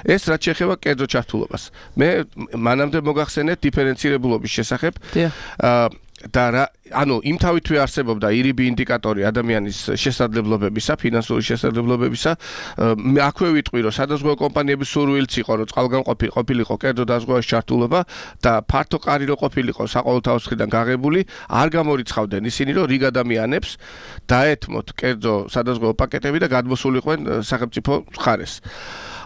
ეს რაც შეეხება კერძო ჩართულობას. მე მანამდე მოგახსენეთ დიფერენცირებულობის შესახებ და ანუ იმ თავითვე არსებობდა ირიბი ინდიკატორი ადამიანის შესაძლებლობებისა, ფინანსური შესაძლებლობებისა. აქვე ვიტყვი, რომ სადაზღვევო კომპანიების სურვილიც იყო, რომ წყალგამყოფი ყოფილიყო კერძო დაზღვევაში ჩართულობა და ფართო კარი რო ყოფილიყო საყოველთაო მხრიდან გაღებული, არ გამორიცხავდნენ ისინი, რომ რიგ ადამიანებს დაეთმოთ კერძო სადაზღვევო პაკეტები და გადმოსულიყვნენ სახელმწიფო მხარეს.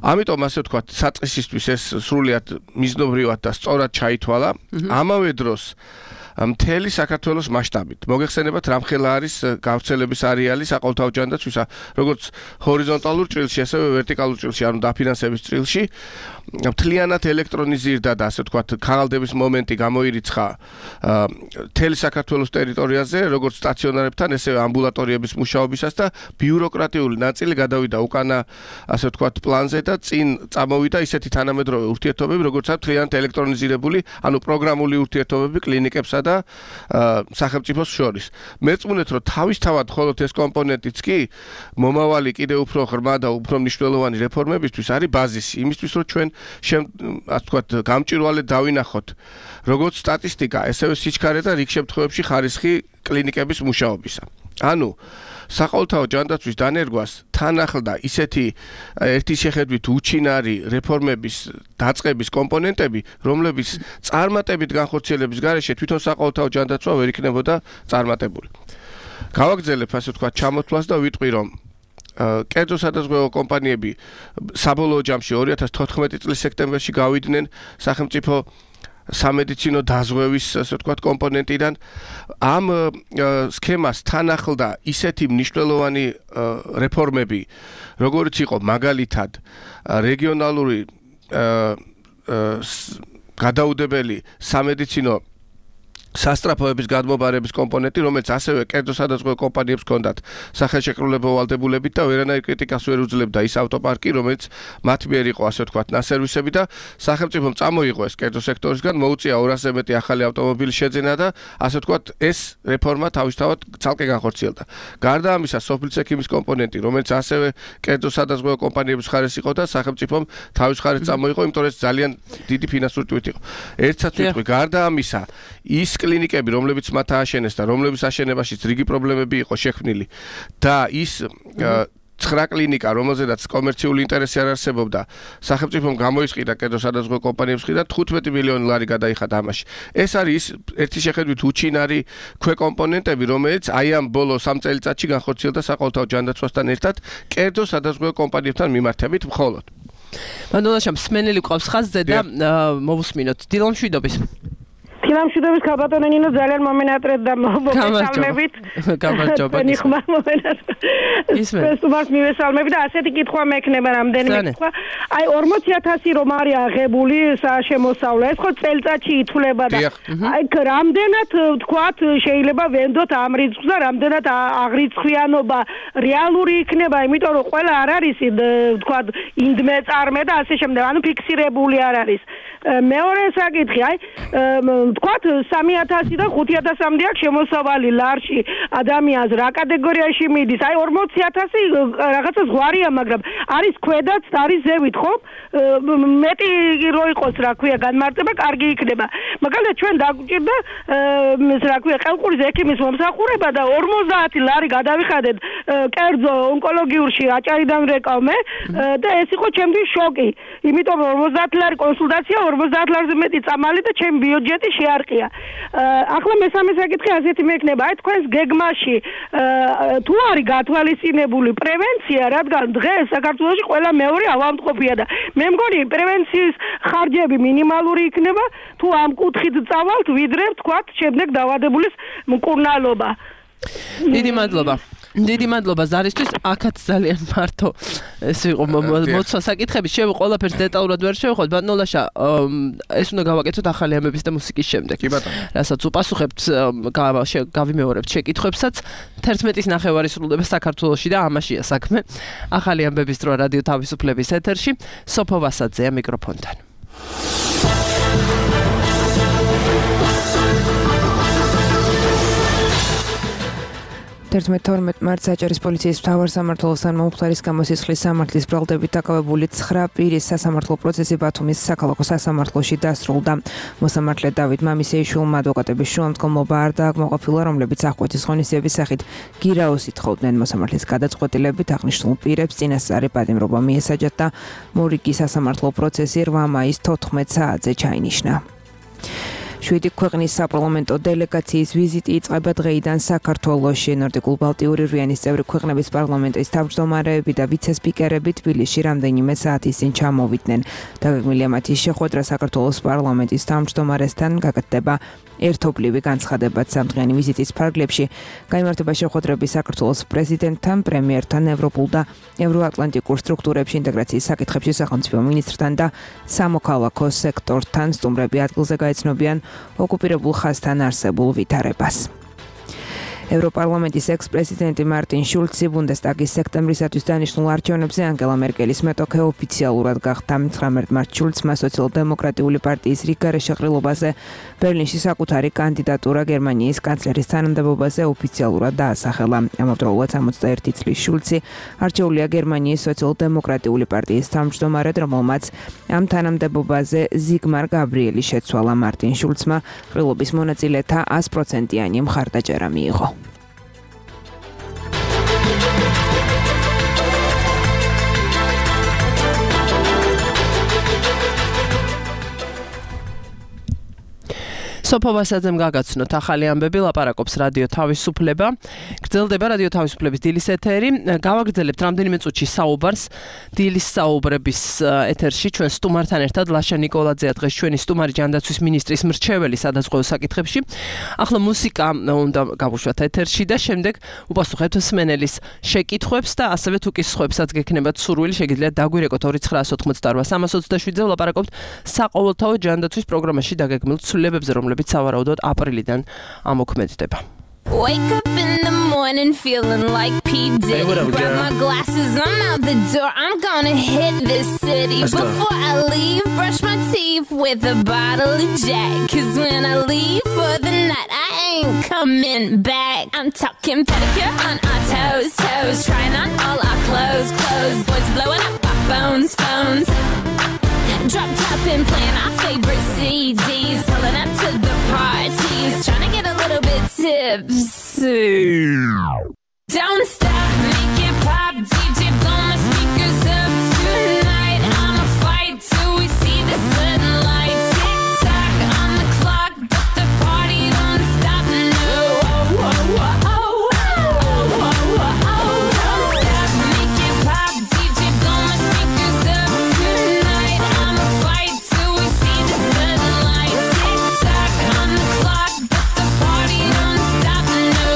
ამიტომ ასე ვთქვათ, საწყისისთვის ეს სრულიად მიზნობრივად და სწორად ჩაითვალა. ამავე დროს მთელი საქართველოს მასშტაბით. მოგეხსენებათ, რამხელა არის გავრცელების არეალი საყოველთაო ჯანდაცვისა, როგორც ჰორიზონტალურ ჭრილში, ასევე ვერტიკალურ ჭრილში, ანუ დაფინანსების ჭრილში. მთლიანად ელექტრონიზირდა და ასე ვთქვათ, ქაღალდების მომენტი გამოირიცხა მთელი საქართველოს ტერიტორიაზე, როგორც სტაციონარებთან, ესევე ამბულატორიების მუშაობისას და ბიუროკრატიული ნაწილი გადავიდა უკანა, ასე ვთქვათ, პლანზე და წინ წამოვიდა ისეთი თანამედროვე ურთიერთობები, როგორც არის მთლიანად ელექტრონიზირებული, ანუ პროგრამული ურთიერთობები კლინიკებსა და სახელმწიფოს შორის. მეწმუნეთ, რომ თავისთავად მხოლოდ ეს კომპონენტიც კი მომავალი კიდევ უფრო ღრმა და უფრო მნიშვნელოვანი რეფორმებისთვის არის ბაზისი, იმისთვის, რომ ჩვენ ასე ვთქვათ, გამჭვირვალედ დავინახოთ როგორც სტატისტიკა, ესევე სიჩქარე და რიგ შემთხვევებში ხარისხი კლინიკების მუშაობისა. ანუ საყოველთაო ჯანდაცვის დანერგვას თან ახლდა ისეთი ერთი შეხედვით უჩინარი რეფორმების დაწყების კომპონენტები, რომლებიც წარმატებით განხორციელების გარეშე თვითონ საყოველთაო ჯანდაცვა ვერ იქნებოდა წარმატებული. გავაგრძელებ ასე ვთქვათ ჩამოთვლას და ვიტყვი, რომ კერძო სადაზღვევო კომპანიები საბოლოო ჯამში 2014 წლის სექტემბერში გავიდნენ სახელმწიფო სამედიცინო დაზღვევის, ასე ვთქვათ, კომპონენტიდან. ამ სქემას თან ახლდა ისეთი მნიშვნელოვანი რეფორმები, როგორც იყო მაგალითად რეგიონალური გადაუდებელი სამედიცინო სასტრაფოების გადმობარების კომპონენტი, რომელიც ასევე კერძო სადაზღვევო კომპანიებს ჰქონდათ სახელშეკრულებო ვალდებულებით და ვერანაირ კრიტიკას ვერ უძლებდა ის ავტოპარკი, რომელიც მათ მიერ იყო, ასე ვთქვათ, ნასერვისები და სახელმწიფომ წამოიღო ეს კერძო სექტორისგან, მოუწია 200-ზე მეტი ახალი ავტომობილის შეძენა და ასე ვთქვათ, ეს რეფორმა თავისთავად ცალკე განხორციელდა. გარდა ამისა, სოფლის ექიმის კომპონენტი, რომელიც ასევე კერძო სადაზღვევო კომპანიების მხარეს იყო და სახელმწიფომ თავის მხარეს წამოიღო, იმიტომ რომ ეს ძალიან დიდი ფინანსური ტვირთი იყო. ერთსაც ვიტყვი, გარდა ამისა, ის კლინიკები, რომლებიც მათ ააშენეს და რომლებიც აშენებაშიც რიგი პრობლემები იყო შექმნილი და ის 9 კლინიკა, რომელზედაც კომერციული ინტერესი არ არსებობდა, სახელმწიფომ გამოისყიდა კერძო სადაზღვევო კომპანიებს მხრიდან 15 მილიონი ლარი გადაიხადა ამაში. ეს არის ერთი შეხედვით უჩინარი ქვეკომპონენტები, რომელიც აი ამ ბოლო 3 წელიწადში განხორციელდა საყოველთაო ჯანდაცვასთან ერთად კერძო სადაზღვევო კომპანიებთან მიმართებით მხოლოდ. მანდონაშამ სმენელი ყავს ხაზზე და მოვუსმინოთ. დილა მშვიდობის. ფილამშვიდობის ქალბატონო ნინო ძალიან მომენატრეთ და მოგესალმებით. გამარჯობა. ნიხმარ მომენატრეთ. ისმენს მივესალმები და ასეთი კითხვა მექნება რამდენიმე კითხვა. აი 40000 რომ არის აღებული შემოსავლა, ეს ხო წელწადში ითვლება და აი რამდენად ვთქვათ შეიძლება ვენდოთ ამ რიცხვს და რამდენად აღრიცხვიანობა რეალური იქნება, იმიტომ რომ ყველა არ არის ვთქვათ ინდმე წარმე და ასე შემდეგ, ანუ ფიქსირებული არ არის. მეორე საკითხი, აი ვთქვათ 3000 და 5000-მდე აქვს შემოსავალი ლარში ადამიანს რა კატეგორიაში მიდის? აი 40000 რაღაცა ზღვარია, მაგრამ არის ქვედაც, არის ზევით, ხო? მეტი რო იყოს, რა ქვია, განმარტება კარგი იქნება. მაგალითად ჩვენ დაგვჭირდა რა ქვია, ყელყურის ექიმის მომსახურება და 50 ლარი გადავიხადეთ კერძო ონკოლოგიურში აჭარიდან რეკავმე და ეს იყო ჩემთვის შოკი. იმიტომ 50 ლარი კონსულტაცია, 50 ლარზე მეტი წამალი და ჩემი ბიუჯეტი შეარყია. ახლა მესამე საკითხი ასეთი მექნება, აი თქვენს გეგმაში თუ არის გათვალისწინებული პრევენცია, რადგან დღეს საქართველოში ყველა მეორე ავადმყოფია და მე მგონი პრევენციის ხარჯები მინიმალური იქნება, თუ ამ კუთხით წავალთ, ვიდრე თქვათ შემდეგ დაავადებულის მკურნალობა. დიდი მადლობა ზარისთვის. აქაც ძალიან მარტო ეს იყო მოცვა საკითხები. ყველაფერს დეტალურად ვერ შევხვდით. ბატონო ლაშა, ეს უნდა გავაკეთოთ ახალი ამბების და მუსიკის შემდეგ. კი ბატონო. რასაც უპასუხებთ, გავიმეორებთ შეკითხვებსაც. 11-ის ნახევარი სრულდება საქართველოში და ამაშია საქმე. ახალი ამბების დრო რადიო თავისუფლების ეთერში. სოფო ვასაძეა მიკროფონთან. 11-12 მარტს საჭირის პოლიციის მთავარ სამმართველოსთან მომხდარის გამოსისხლის სამართლის ბრალდებით დაკავებული 9 პირის სასამართლო პროცესი ბათუმის საქალაქო სასამართლოში დასრულდა. მოსამართლე დავით მამისეიშვილმა ადვოკატების შუამდგომლობა არ დააკმაყოფილა, რომლებიც აღკვეთის ღონისძიების სახით გირაოს ითხოვდნენ. მოსამართლის გადაწყვეტილებით აღნიშნულ პირებს წინასწარი პატიმრობა მიესაჯათ და მორიგი სასამართლო პროცესი 8 მაისს 14 საათზე ჩაინიშნა. 7 ქვეყნის საპარლამენტო დელეგაციის ვიზიტი იწყება დღეიდან საქართველოში. ნორდიკულ-ბალტიური რვიანის წევრი ქვეყნების პარლამენტის თავმჯდომარეები და ვიცე-სპიკერები თბილისში რამდენიმე საათის წინ ჩამოვიდნენ. დაგეგმილია მათი შეხვედრა საქართველოს პარლამენტის თავმჯდომარესთან, გაკეთდება ერთობლივი განცხადებაც სამდღიანი ვიზიტის ფარგლებში. გაიმართება შეხვედრები საქართველოს პრეზიდენტთან, პრემიერთან, ევროპულ და ევროატლანტიკურ სტრუქტურებში ინტეგრაციის საკითხებში სახელმწიფო მინისტრთან და სამოქალაქო სექტორთან. სტუმრები ადგილზე გაეცნობიან ოკუპირებულ ხაზთან არსებულ ვითარებას. ევროპარლამენტის ექს-პრეზიდენტი მარტინ შულცი ბუნდესტაგის სექტემბრისათვის დანიშნულ არჩევნებზე ანგელა მერკელის მეტოქე ოფიციალურად გახდა. 19 მარტს შულცმა სოციალ-დემოკრატიული პარტიის რიგგარეშე ყრილობაზე ბერლინში საკუთარი კანდიდატურა გერმანიის კანცლერის თანამდებობაზე ოფიციალურად დაასახელა. ამავდროულად 61 წლის შულცი არჩეულია გერმანიის სოციალ-დემოკრატიული პარტიის თავმჯდომარედ, რომელმაც ამ თანამდებობაზე ზიგმარ გაბრიელი შეცვალა. მარტინ შულცმა ყრილობის მონაწილეთა 100%-იანი მხარდაჭერა მიიღო. სოფო ვასაძემ გაგაცნოთ ახალი ამბები, ლაპარაკობს რადიო თავისუფლება. გრძელდება რადიო თავისუფლების დილის ეთერი. გავაგრძელებთ რამდენიმე წუთში საუბარს დილის საუბრების ეთერში ჩვენ სტუმართან ერთად. ლაშა ნიკოლაძეა დღეს ჩვენი სტუმარი ჯანდაცვის მინისტრის მრჩეველი სადაზღვევო საკითხებში. ახლა მუსიკა უნდა გავუშვათ ეთერში და შემდეგ უპასუხებთ მსმენელის შეკითხვებს და ასევე თუ კითხვებსაც გექნებათ სურვილი, შეგიძლიათ დაგვირეკოთ 2988-327-ზე. ვლაპარაკობთ საყოველთაო ჯანდაცვის პროგრამაში დაგეგმილ ცვლილებებზე, რომლებიც სავარაუდოდ აპრილიდან ამოქმედდება. Wake up in the morning feeling like P. Diddy. Grab my glasses, I'm out the door. I'm gonna hit this city. Before I leave, brush my teeth with a bottle of Jack. 'Cause when I leave for the night, I ain't coming back. I'm talking pedicure on our toes, toes. Trying on all our clothes, clothes. Boys blowing up our phones, phones. Drop top and playing our favorite CDs. Pulling up to the parties. Trying to get a little bit tipsy. Don't stop, make it pop. DJ blow my speakers up tonight. I'ma fight till we see the sunlight. Tick tock on the clock, but the party don't stop. No. Don't stop, make it pop. DJ blow my speakers up tonight. I'ma fight till we see the sunlight. Tick tock on the clock, but the party don't stop. No.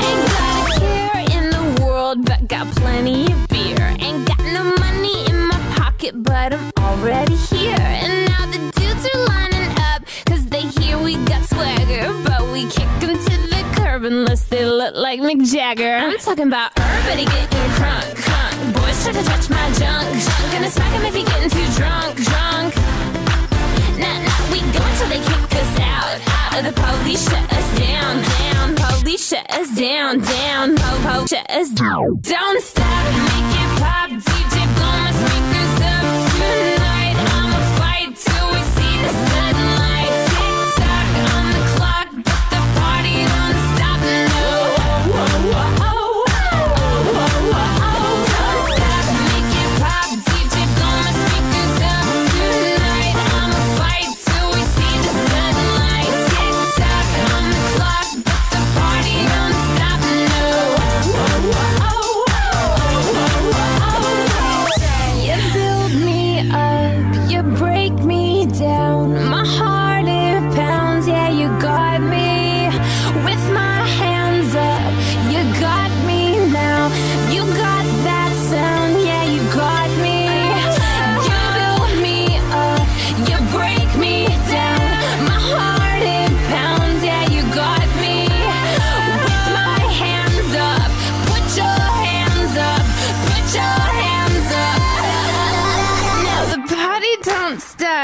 Ain't got a care in the world, but got plenty of beer. Ain't got no money in my pocket, but I'm already here. And now the dudes are lining up, 'cause they hear we got swagger. But we kick them to the curb unless they look like Mick Jagger. I'm talking about everybody getting crunk, crunk. Boys try to touch my junk, junk. Gonna smack him if he getting too drunk, drunk. Nah, we go until they kick us out. The police shut us down, down. Police shut us down, down. Po shut us down. Don't stop, make it pop. DJ blow my speakers up tonight. I'ma fight till we see the sunlight. Tick tock on the clock, but the party don't stop. No. Don't stop, make it pop. DJ blow my speakers up tonight.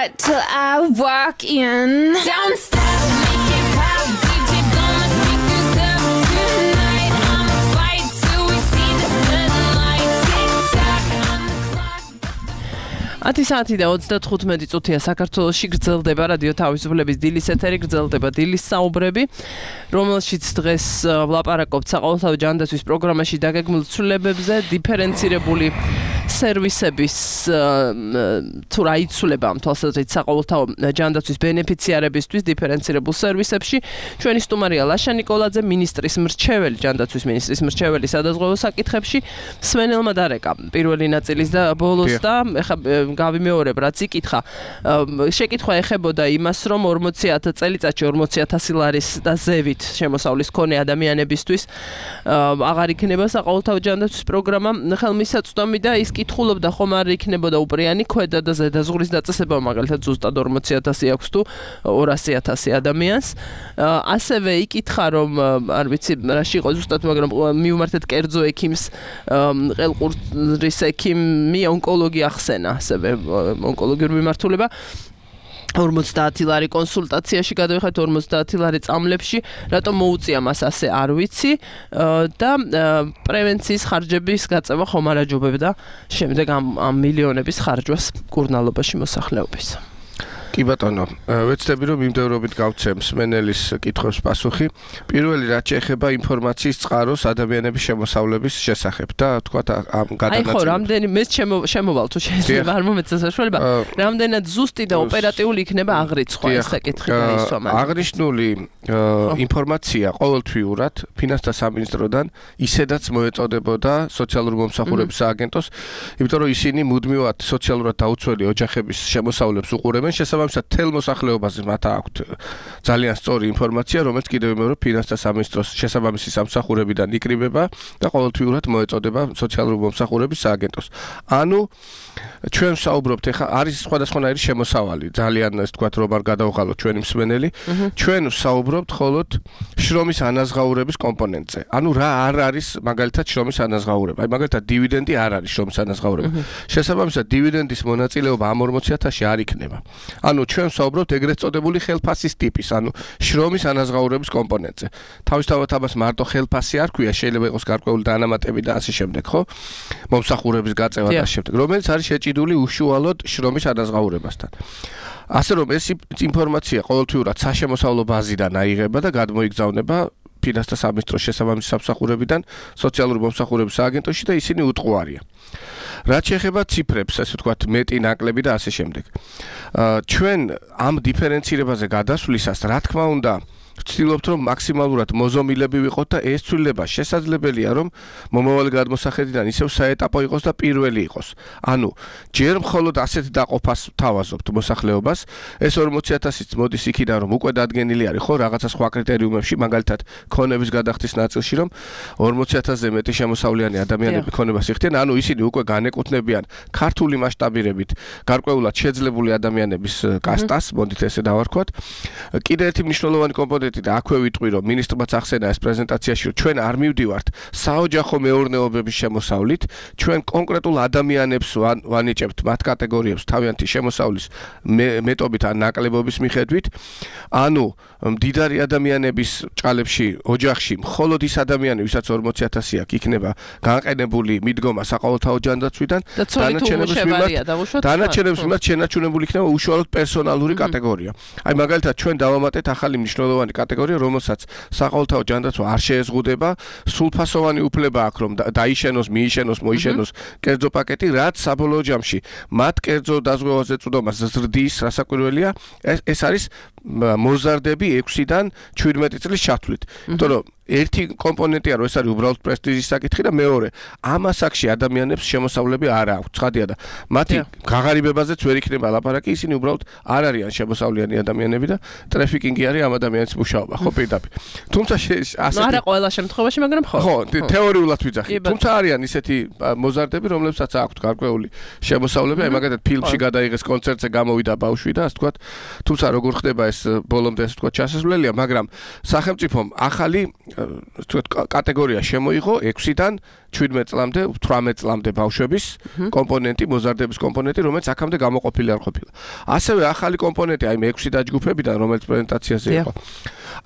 sweat till I walk in. Don't stop, make it pop, DJ blow my speakers up tonight. I'ma fight till we see the sunlight. Tick tock on the clock. 10 საათი და 35 წუთია საქართველოში გრძელდება რადიო თავისუფლების დილის ეთერი, გრძელდება დილის საუბრები, რომელშიც დღეს ვლაპარაკობთ საყოველთაო ჯანდაცვის პროგრამაში დაგეგმილ ცვლილებებზე, დიფერენცირებული სერვისების თუ რა იცვლება ამ თვალსაზრისით საყოველთაო ჯანდაცვის ბენეფიციარებისთვის დიფერენცირებულ სერვისებში. ჩვენი სტუმარია ლაშა ნიკოლაძე, მინისტრის მრჩეველი, ჯანდაცვის მინისტრის მრჩეველი სადაზღვევო საკითხებში, სვენელმა დარეკა პირველი ნაწილის და ბოლოს და ეხა გავიმეორებ რაც იკითხა. შეკითხვა ეხებოდა იმას, რომ 40,000 წელიწადში 40,000 ლარის და ზევით შემოსავლის მქონე ადამიანებისთვის აღარ იქნება საყოველთაო ჯანდაცვის პროგრამა ხელმისაწვდომი და ის კითხულობდა ხომ არ იქნებოდა უპრიანი ქვედა და ზედა ზღურის დაწესება, მაგალითად ზუსტად 40,000 აქვს თუ 200,000 ადამიანს. ასევე იკითხა რომ არ ვიცი რაში იყო ზუსტად, მაგრამ მიუმართეთ კერძო ექიმს, ყელყურის ექიმი ონკოლოგი ახსენა, ასევე ონკოლოგიური მიმართულება. 50 ლარი კონსულტაციაში გადავიხეთ, 50 ლარი წამლებში, რატომ მოუწია მას ასე არ ვიცი და პრევენციის ხარჯების გაწევა ხომ არ აჯობებდა შემდეგ ამ მილიონების ხარჯვას კურნალობაში მოსახლეობის. კი ბატონო, ვეცდები რომ მიმდევრობით გავცემ სმენელის კითხვებს პასუხი. პირველი რაც შეეხება ინფორმაციის წყაროს ადამიანების შემოსავლების შესახებ და თქვა ამ გადანაწილებას. აი ხო, რამდენი მეც შემოვალ თუ შეიძლება არ მომეცა საშუალება, რამდენად ზუსტი და ოპერატიული იქნება აღრიცხვა ეს საკითხი გაისვა. აღნიშნული ინფორმაცია ყოველთვიურად ფინანსთა სამინისტროდან ისედაც მოეწოდებოდა სოციალური მომსახურების სააგენტოს, იმიტომ რომ ისინი მუდმივად სოციალურად დაუცველი ოჯახების შემოსავლებს უყურებენ, შესაბამისად თელ მოსახლეობაზე მათ აქვთ ძალიან სწორი ინფორმაცია, რომელიც კიდევ მეორე ფინანსთა სამინისტროს შესაბამისი სამსახურებიდან იკრიბება და ყოველთვიურად მოეწოდება სოციალური მომსახურების სააგენტოს. ანუ ჩვენ საუბრობთ ეხა არის სხვადასხვანაირი შემოსავალი, ძალიან ეს თქვა რომ არ გადავღალოთ ჩვენი მსმენელი, ჩვენ საუბრობთ მხოლოდ შრომის ანაზღაურების კომპონენტზე. ანუ რა არ არის მაგალითად შრომის ანაზღაურება. აი მაგალითად დივიდენდი არ არის შრომის ანაზღაურება. შესაბამისად დივიდენდის მონაწილეობა ამ 40,000-ში არ იქნება. ანუ ჩვენ საუბრობთ ეგრეთ წოდებული ხელფასის ტიპის, ანუ შრომის ანაზღაურების კომპონენტზე. თავისთავად ამას მარტო ხელფასი არ ქვია, შეიძლება იყოს გარკვეული დანამატები და ასე შემდეგ, ხო? მომსახურების გაწევა და შემდეგ, რომელიც არის შეჭიდული უშუალოდ შრომის ანაზღაურებასთან. ასე რომ ეს ინფორმაცია ყოველთვიურად საშემოსავლო ბაზიდან აიღება და გადმოიგზავნება ფინანსთა სამინისტროს შესაბამისი სამსახურებიდან სოციალური მომსახურების სააგენტოში და ისინი უტყუარია. რაც შეეხება ციფრებს, ასე ვთქვათ, მეტი ნაკლები და ასე შემდეგ. ჩვენ ამ დიფერენცირებაზე გადასვლისას, რა თქმა უნდა, ვცდილობთ რომ მაქსიმალურად მოზომილები ვიყოთ და ეს ცვლილება შესაძლებელია რომ მომავალი გადმოსახედიდან ისევ საეტაპო იყოს და პირველი იყოს. ანუ ჯერ მხოლოდ ასეთ დაყოფას თავაზობთ მოსახლეობას, ეს 40,000-იც მოდის იქიდან რომ უკვე დადგენილი არის ხო რაღაცა სხვა კრიტერიუმებში, მაგალითად ქონების გადახდის ნაწილში რომ 40,000-ზე მეტი შემოსავლიანი ადამიანები ქონებას იხდიან, ანუ ისინი უკვე განეკუთვნებიან ქართული მასშტაბირებით გარკვეულად შეძლებული ადამიანების კასტას, მოდით ესე დავარქვათ. კიდე ერთი მნიშვნელოვანი კომპონენტი და აქვე ვიტყვი რომ მინისტრმაც ახსენა ეს პრეზენტაციაში რომ ჩვენ არ მივდივართ საოჯახო მეურნეობების შემოსავლით, ჩვენ კონკრეტულ ადამიანებს ვანიჭებთ მათ კატეგორიებს თავიანთი შემოსავლის მეტობით ან ნაკლებობის მიხედვით. ანუ მდიდარი ადამიანების ჭალებში, ოჯახში მხოლოდ ის ადამიანი, ვისაც 40,000 აქვს, იქნება განყენებული მიდგომა საყოველთაო ჯანდაცვიდან, დანარჩენებს მიმართ შენარჩუნებული იქნება უშუალოდ პერსონალური კატეგორია. აი მაგალითად ჩვენ დავამატეთ ახალი მნიშვნელოვანი კატეგორია, რომელსაც საყოველთაო ჯანდაცვა არ შეეზღუდება, სრულფასოვანი უფლება აქვს რომ დაიშენოს, მიიშენოს, მოიშენოს კერძო პაკეტი, რაც საბოლოო ჯამში მათ კერძო დაზღვევაზე წვდომას ზრდის, რასაკვირველია, ეს არის მოზარდები 6-დან 17 წლის ჩათვლით. იმიტომ რომ ერთი კომპონენტია რომ ეს არის უბრალოდ პრესტიჟის საკითხი და მეორე ამ ასაკში ადამიანებს შემოსავლები არ აქვს, ცხადია და მათი გაღარიბებაზეც ვერ იქნება ლაპარაკი, ისინი უბრალოდ არ არიან შემოსავლიანი ადამიანები და ტრაფიკინგი არის ამ ადამიანის მუშაობა, ხო პირდაპირ. თუმცა ასეთი არა ყველა შემთხვევაში, მაგრამ ხო. ხო, თეორიულად ვიძახით. თუმცა არიან ისეთი მოზარდები, რომლებსაც აქვთ გარკვეული შემოსავლები, აი მაგალითად ფილმში გადაიღეს კონცერტზე გამოვიდა ბავშვი და ასე ვთქვათ, თუმცა როგორ ხდება ეს ეს ბოლომდე ასე ვთქვათ ჩასასვლელია, მაგრამ სახელმწიფომ ახალი კატეგორია შემოიღო 6-დან 17 წლამდე, 18 წლამდე ბავშვების კომპონენტი, მოზარდების კომპონენტი, რომელიც აქამდე გამოყოფილი არ ყოფილა. ასევე ახალი კომპონენტი, აი მე 6 დაჯგუფებიდან, რომელიც პრეზენტაციაზე იყო,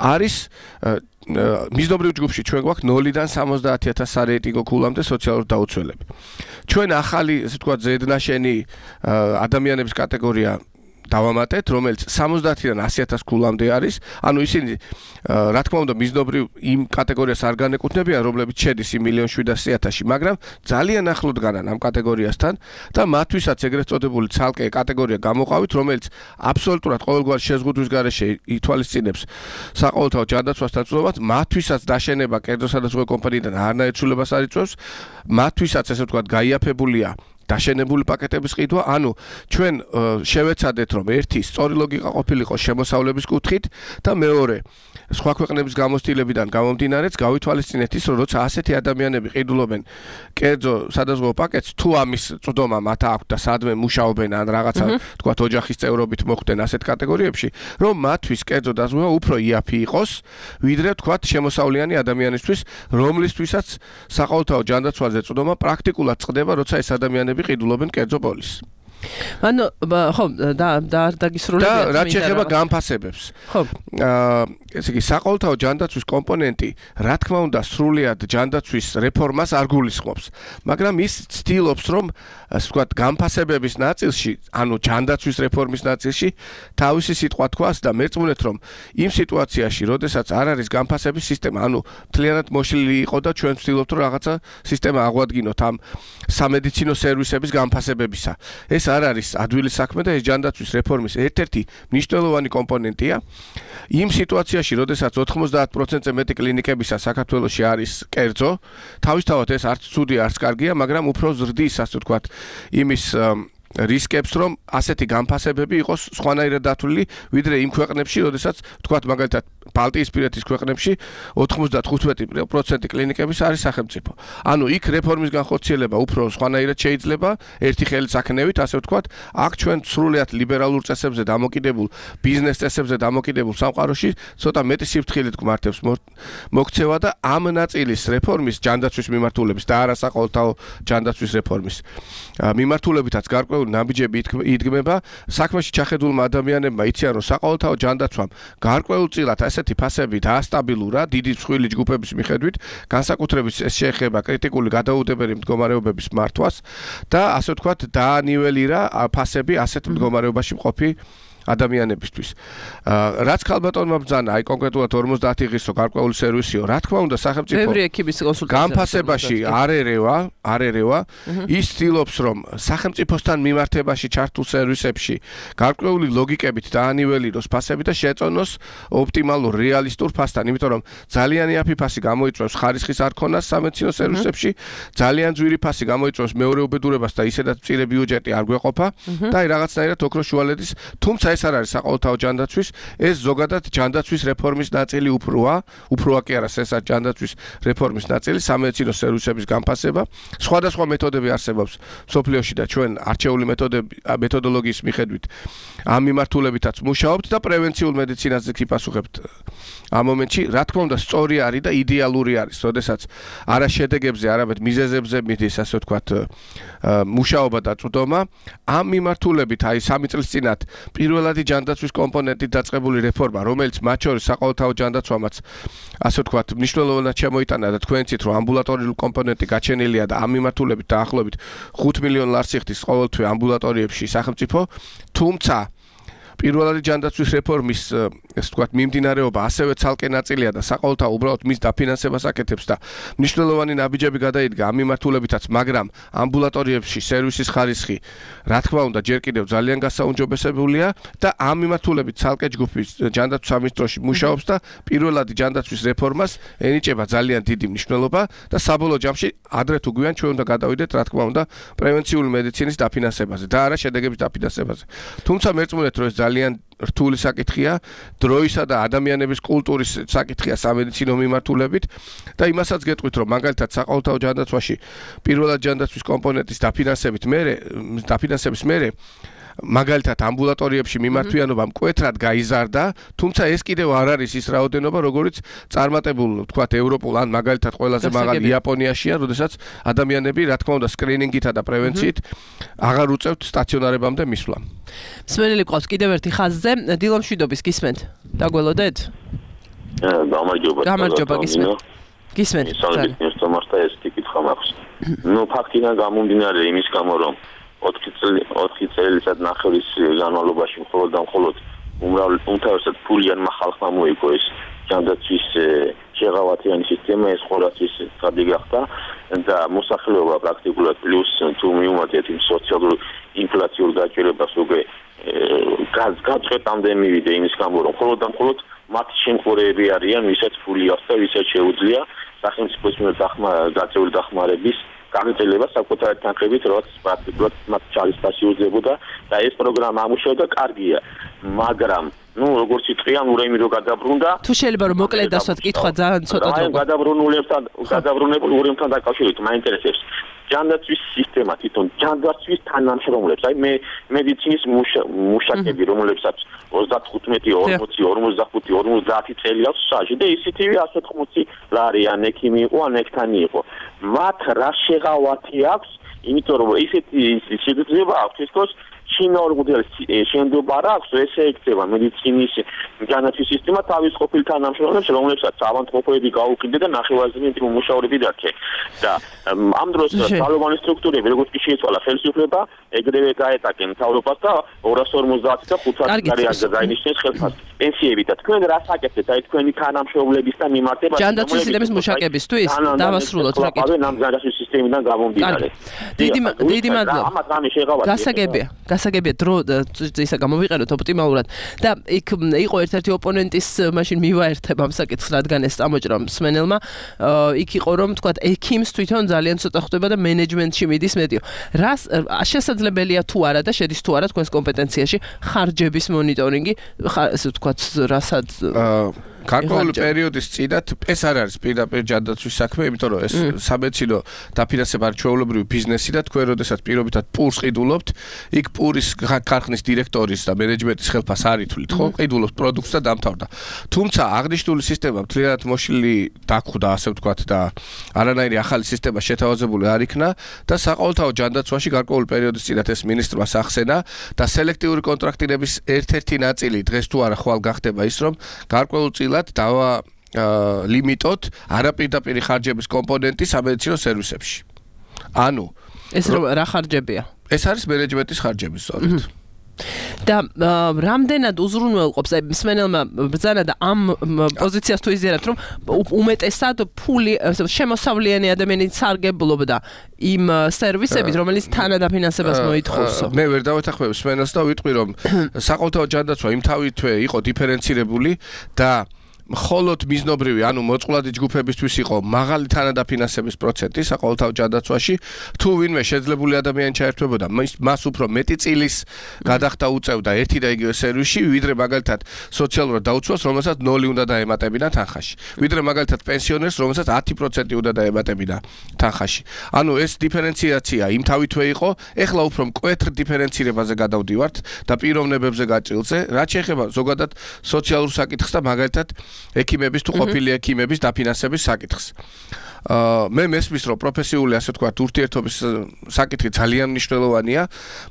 არის მიზნობრივ ჯგუფში ჩვენ გვაქვს 0-დან 70,000 სარეიტინგო ქულამდე სოციალური დაუცველები. ჩვენ ახალი, ასე ვთქვათ, ზედნაშენი ადამიანების კატეგორია დავამატეთ, რომელიც 70-დან 100,000 ქულამდე არის. ანუ ისინი რა თქმა უნდა მიზნობრივ იმ კატეგორიას არ განეკუთვნებიან, რომლებიც შედის 1,700,000-ში, მაგრამ ძალიან ახლოდ განან ამ კატეგორიასთან და მათთვისაც ეგრეთ წოდებული ცალკე კატეგორია გამოყავით, რომელიც აბსოლუტურად ყოველგვარი შეზღუდვის გარეშე ითვალისწინებს საყოველთაო ჯანდაცვასთან წვდომას, მათთვისაც დაშენება კერძო სადაზღვევო კომპანიიდან არანაირ ცვლილებას არ იწვევს, მათთვისაც ესე ვთქვათ გაიაფებულია დაშენებული პაკეტების ყიდვა, ანუ ჩვენ შევეცადეთ, რომ ერთი სწორი ლოგიკა ყოფილიყო შემოსავლების კუთხით და მეორე სხვა ქვეყნების გამოცდილებიდან გამომდინარეც გავითვალისწინეთ ის, რომ როცა ასეთი ადამიანები ყიდულობენ კერძო სადაზღვევო პაკეტს, თუ ამის წვდომა მათ აქვს და სადმე მუშაობენ ან რაღაცა თქვათ ოჯახის წევრობით მოხვდნენ ასეთ კატეგორიებში, რომ მათთვის კერძო დაზღვევა უფრო იაფი იყოს, ვიდრე თქვათ შემოსავლიანი ადამიანისთვის, რომლისთვისაც საყოველთაო ჯანდაცვაზე წვდომა პრაქტიკულად წყდება, როცა ეს ადამიანები ყიდულობენ კერძო პოლისს. ანუ ხო დაგისრულებია და რაც შეეხება განფასებებს. ხო. ესე იგი საყოველთაო ჯანდაცვის კომპონენტი, რა თქმა უნდა, სრულიად ჯანდაცვის რეფორმას არ გულისხმობს, მაგრამ ის ცდილობს, რომ ასე ვთქვათ, განფასებების ნაწილში, ანუ ჯანდაცვის რეფორმის ნაწილში, თავისი სიტყვა თქვას და მერწმუნეთ, რომ იმ სიტუაციაში, როდესაც არ არის განფასების სისტემა, ანუ მთლიანად მოშლილი იყო და ჩვენ ვცდილობთ, რომ რაღაცა სისტემა აღვადგინოთ ამ სამედიცინო სერვისების განფასებებისა. ეს არ არის ადვილი საქმე და ეს ჯანდაცვის რეფორმის ერთ-ერთი მნიშვნელოვანი კომპონენტია. იმ სიტუაციაში, როდესაც 90%-ზე მეტი კლინიკებისა საქართველოში არის კერძო, თავისთავად ეს არც ცუდი, არც კარგია, მაგრამ უფრო ზრდის, ასე ვთქვათ, იმის რისკებს, რომ ასეთი განფასებები იყოს სხვანაირად დათვლილი, ვიდრე იმ ქვეყნებში, როდესაც ვთქვათ, მაგალითად, ბალტიისპირეთის ქვეყნებში 95% კლინიკების არის სახელმწიფო. ანუ იქ რეფორმის განხორციელება უფრო სხვანაირად შეიძლება, ერთი ხელის აქნევით, ასე ვთქვათ, აქ ჩვენ სრულიად ლიბერალურ წესებზე დამოკიდებულ, ბიზნეს წესებზე დამოკიდებულ სამყაროში ცოტა მეტი სიფრთხილით გვმართებს მოქცევა და ამ ნაწილის რეფორმის ჯანდაცვის მიმართულების და არა საყოველთაო ჯანდაცვის რეფორმის მიმართულებითაც გარკვეული ნაბიჯები იდგმება, საქმეში ჩახედულმა ადამიანებმა იციან, რომ საყოველთაო ჯანდაცვამ გარკვეულწილად ასეთი ფასები დაასტაბილურა დიდი მსხვილი ჯგუფების მიხედვით, განსაკუთრებით ეს შეეხება კრიტიკული გადაუდებელი მდგომარეობების მართვას და ასე ვთქვათ, დაანიველირა ფასები ასეთ მდგომარეობაში მყოფი ადამიანებისთვის. რაც ქალბატონმა ბრძანა, აი კონკრეტულად 50 ღირსო გარკვეული სერვისიო, რა თქმა უნდა, სახელმწიფო განფასებაში არ ერევა, ის ცდილობს, რომ სახელმწიფოსთან მიმართებაში ჩართულ სერვისებში გარკვეული ლოგიკებით დაანიველიროს ფასები და შეწონოს ოპტიმალურ რეალისტურ ფასთან, იმიტომ რომ ძალიან იაფი ფასი გამოიწვევს ხარისხის არქონას სამედიცინო სერვისებში, ძალიან ძვირი ფასი გამოიწვევს მეორე უბედურებას და ისედაც მწირი ბიუჯეტი არ გვეყოფა და აი რაღაცნაირად ოქროს შუალედის, თუმცა ეს არ არის საყოველთაო ჯანდაცვის, ეს ზოგადად ჯანდაცვის რეფორმის ნაწილი უფროა კი არა, ეს არის ჯანდაცვის რეფორმის ნაწილი, სამედიცინო სერვისების განფასება, სხვადასხვა მეთოდები არსებობს სოფლიოში და ჩვენ არჩეული მეთოდოლოგიის მიხედვით ამ მიმართულებითაც მუშაობთ და პრევენციულ მედიცინაზე გიპასუხებთ. ამ მომენტში, რა თქმა უნდა, სწორი არის და იდეალური არის, როდესაც არა შედეგებზე, არამედ მიზეზებზე მიდის, ასე ვთქვათ, მუშაობა და წვდომა. ამ მიმართულებით, აი 3 წლის წინათ პირველადი ჯანდაცვის კომპონენტით დაწყებული რეფორმა, რომელიც მათ შორის საყოველთაო ჯანდაცვამაც, ასე ვთქვათ, მნიშვნელოვნად შემოიტანა და თქვენ იცით, რომ ამბულატორიული კომპონენტი გაჩენილია და ამ მიმართულებით დაახლოებით 5 მილიონ ლარს იხდის ყოველთვე ამბულატორიებში სახელმწიფო, თუმცა პირველადი ჯანდაცვის რეფორმის, ასე ვთქვათ, მიმდინარეობა ასევე ცალკე ნაწილია და საყოველთაო უბრალოდ მის დაფინანსებას აკეთებს და მნიშვნელოვანი ნაბიჯები გადაიდგა ამ მიმართულებითაც, მაგრამ ამბულატორიებში სერვისის ხარისხი, რა თქმა უნდა, ჯერ კიდევ ძალიან გასაუმჯობესებულია და ამ მიმართულებით ცალკე ჯგუფის ჯანდაცვის სამინისტროში მუშაობს და პირველადი ჯანდაცვის რეფორმას ენიჭება ძალიან დიდი მნიშვნელობა და საბოლოო ჯამში ადრე თუ გვიან ჩვენ უნდა გადავიდეთ, რა თქმა უნდა, პრევენციული მედიცინის დაფინანსებაზე და არა შედეგების დაფინანსებაზე. თუმცა მერწმუნეთ, რომ ეს ძალიან რთული საკითხია, დროისა და ადამიანების კულტურის საკითხია სამედიცინო მიმართულებით და იმასაც გეტყვით, რომ მაგალითად საყოველთაო ჯანდაცვაში პირველად ჯანდაცვის კომპონენტის დაფინანსების მერე მაგალითად ამბულატორიებში მიმართვიანობა მკვეთრად გაიზარდა, თუმცა ეს კიდევ არ არის ის რაოდენობა, როგორც წარმატებულ, თქვათ, ევროპულ ან მაგალითად ყველაზე მაღალი იაპონიაშია, როდესაც ადამიანები, რა თქმა უნდა, სკრინინგითა და პრევენციით აღარ უწევთ სტაციონარებამდე მისვლა. მსმენელი ყავს კიდევ ერთი ხაზზე, დილომშვიდობის გისმენთ. დაგველოდეთ? გამარჯობა გისმენთ. გისმენთ. სამართლა ეს კითხვა მაქვს. ფაქტიდან გამომდინარე იმის გამო, რომ 4 წელიწად ნახევრის განმავლობაში მხოლოდ და მხოლოდ უმთავრესად ფულიანმა ხალხმა მოიგო ეს ჯანდაცვის შეღავათიანი სისტემა, ეს ყოველთვის წადი გახდა და მოსახლეობა პრაქტიკულად პლუს თუ მიუმატეთ იმ სოციალურ ინფლაციურ გაჭირებას უკვე გაწყვეტამდე მივიდა იმის გამო, რომ მხოლოდ და მხოლოდ მათი შემხურეები არიან, ვისაც ფული აქვს და ვისაც შეუძლია სახელმწიფოს მიერ გაწეული დახმარების გაგრძელება საკუთარი თანხებით, რაც პრაქტიკულად მათ ჩალისფასი უძლებოდა და ეს პროგრამა ამუშავდა კარგია, მაგრამ როგორც იტყვიან, ურემი რო გადაბრუნდა. თუ შეიძლება რომ მოკლედ დასვათ კითხვა ძალიან ცოტა დროა. გადაბრუნებულ ურემთან დაკავშირებით მაინტერესებს ჯანდაცვის სისტემა თვითონ ჯანდაცვის თანამშრომლებს, აი მედიცინის მუშაკები, რომლებსაც 35, 40, 45, 50 წელი აქვს სტაჟი და ისეთივე 180 ლარი ან ექიმი იყო, ან ექთანი იყო. მათ რა შეღავათი აქვს, იმიტომ რომ ისეთი შეიძლება აქვს თითქოს ჩინაურ მოდელს შენდობა რა აქვს, ესე ექცევა მედიცინის ჯანდაცვის სისტემა თავის ყოფილ თანამშრომლებს, რომლებსაც ავანტყოფოები გაუყიდე და ნახევარზე მუშაობები დაქე. და ამ დროს ძალოვანი სტრუქტურები, როგორც კი შეიცვალა ხელისუფლება, ეგრევე გაეტაკენ მთავრობას და 250 და 500 ლარი აღგაინიშნეს ხელფასს. პენსიები და თქვენ რას აკეთებთ, აი თქვენი თანამშრომლებისთან მიმართება ჯანდაცვის სისტემის მუშაკებისთვის დავასრულოთ რა კითხვა. ამ ჯანდაცვის სისტემიდან გამომდინარე. დიდი მადლობა. ამათ რამე შეღავათი. გასაგებია დრო ისა გამოვიყენოთ ოპტიმალურად და იქ იყო ერთ-ერთი ოპონენტის მაშინ მივაერთებ ამ საკითხს, რადგან ეს წამოჭრა მსმენელმა იქ იყო რომ თქვა ექიმს თვითონ ძალიან ცოტა ხდება და მენეჯმენტში მიდის მეტიო. რას შესაძლებელია თუ არა და შედის თუ არა თქვენს კომპეტენციაში ხარჯების მონიტორინგი, ესე ვთქვათ, რასაც გარკვეული პერიოდის წინათ ეს არ არის პირდაპირ ჯანდაცვის საქმე, იმიტომ რომ ეს სამედიცინო დაფინანსება არის ჩვეულებრივი ბიზნესი და თქვენ როდესაც პირობითად პურს ყიდულობთ, იქ პურის ქარხნის დირექტორის და მენეჯმენტის ხელფას არ ითვლით, ხო? ყიდულობთ პროდუქტს და დამთავრდა. თუმცა აღნიშნული სისტემა მთლიანად მოშლილი დაგხვდა, ასე ვთქვათ და არანაირი ახალი სისტემა შეთავაზებული არ იქნა და საყოველთაო ჯანდაცვაში გარკვეული პერიოდის წინათ ეს მინისტრმა სახსენა და სელექტიური კონტრაქტირების ერთ-ერთი ნაწილი დღეს თუ არა ხვალ გახდება ის, რომ გარკვეულ დავა ლიმიტოთ არაპირდაპირი ხარჯების კომპონენტი სამედიცინო სერვისებში. ანუ ეს რა ხარჯებია? ეს არის მენეჯმენტის ხარჯები სწორედ. და რამდენად უზრუნველყოფს აი მსმენელმა ბრძანა და ამ პოზიციას თუ იზიარებთ რომ უმეტესად ფული შემოსავლიანი ადამიანის სარგებლობდა იმ სერვისებით რომელიც თანადაფინანსებას მოითხოვსო. მე ვერ დავეთანხმებ მსმენელს და ვიტყვი რომ საყოველთაო ჯანდაცვა იმ თავითვე იყო დიფერენცირებული და მხოლოდ მიზნობრივი, ანუ მოწყვლადი ჯგუფებისთვის იყო მაღალი თანადაფინანსების პროცენტი საყოველთაო ჯანდაცვაში, თუ ვინმე შეძლებული ადამიანი ჩაერთვებოდა, მას უფრო მეტი წილის გადახდა უწევდა ერთი და იგივე სერვისში, ვიდრე მაგალითად სოციალურად დაუცვას, რომელსაც 0 უნდა დაემატებინა თანხაში. ვიდრე მაგალითად პენსიონერს, რომელსაც 10% უნდა დაემატებინა თანხაში. ანუ ეს დიფერენციაცია იმ თავითვე იყო, ეხლა უფრო მკვეთრ დიფერენცირებაზე გადავდივართ და პიროვნებებზე გაჭრილზე, რაც შეეხება ზოგადად სოციალურ საკითხს და მაგალითად ექიმების თუ ყოფილი ექიმების დაფინანსების საკითხს. მე მესმის რომ პროფესიული ასე ვთქვათ ურთიერთობის საკითხი ძალიან მნიშვნელოვანია,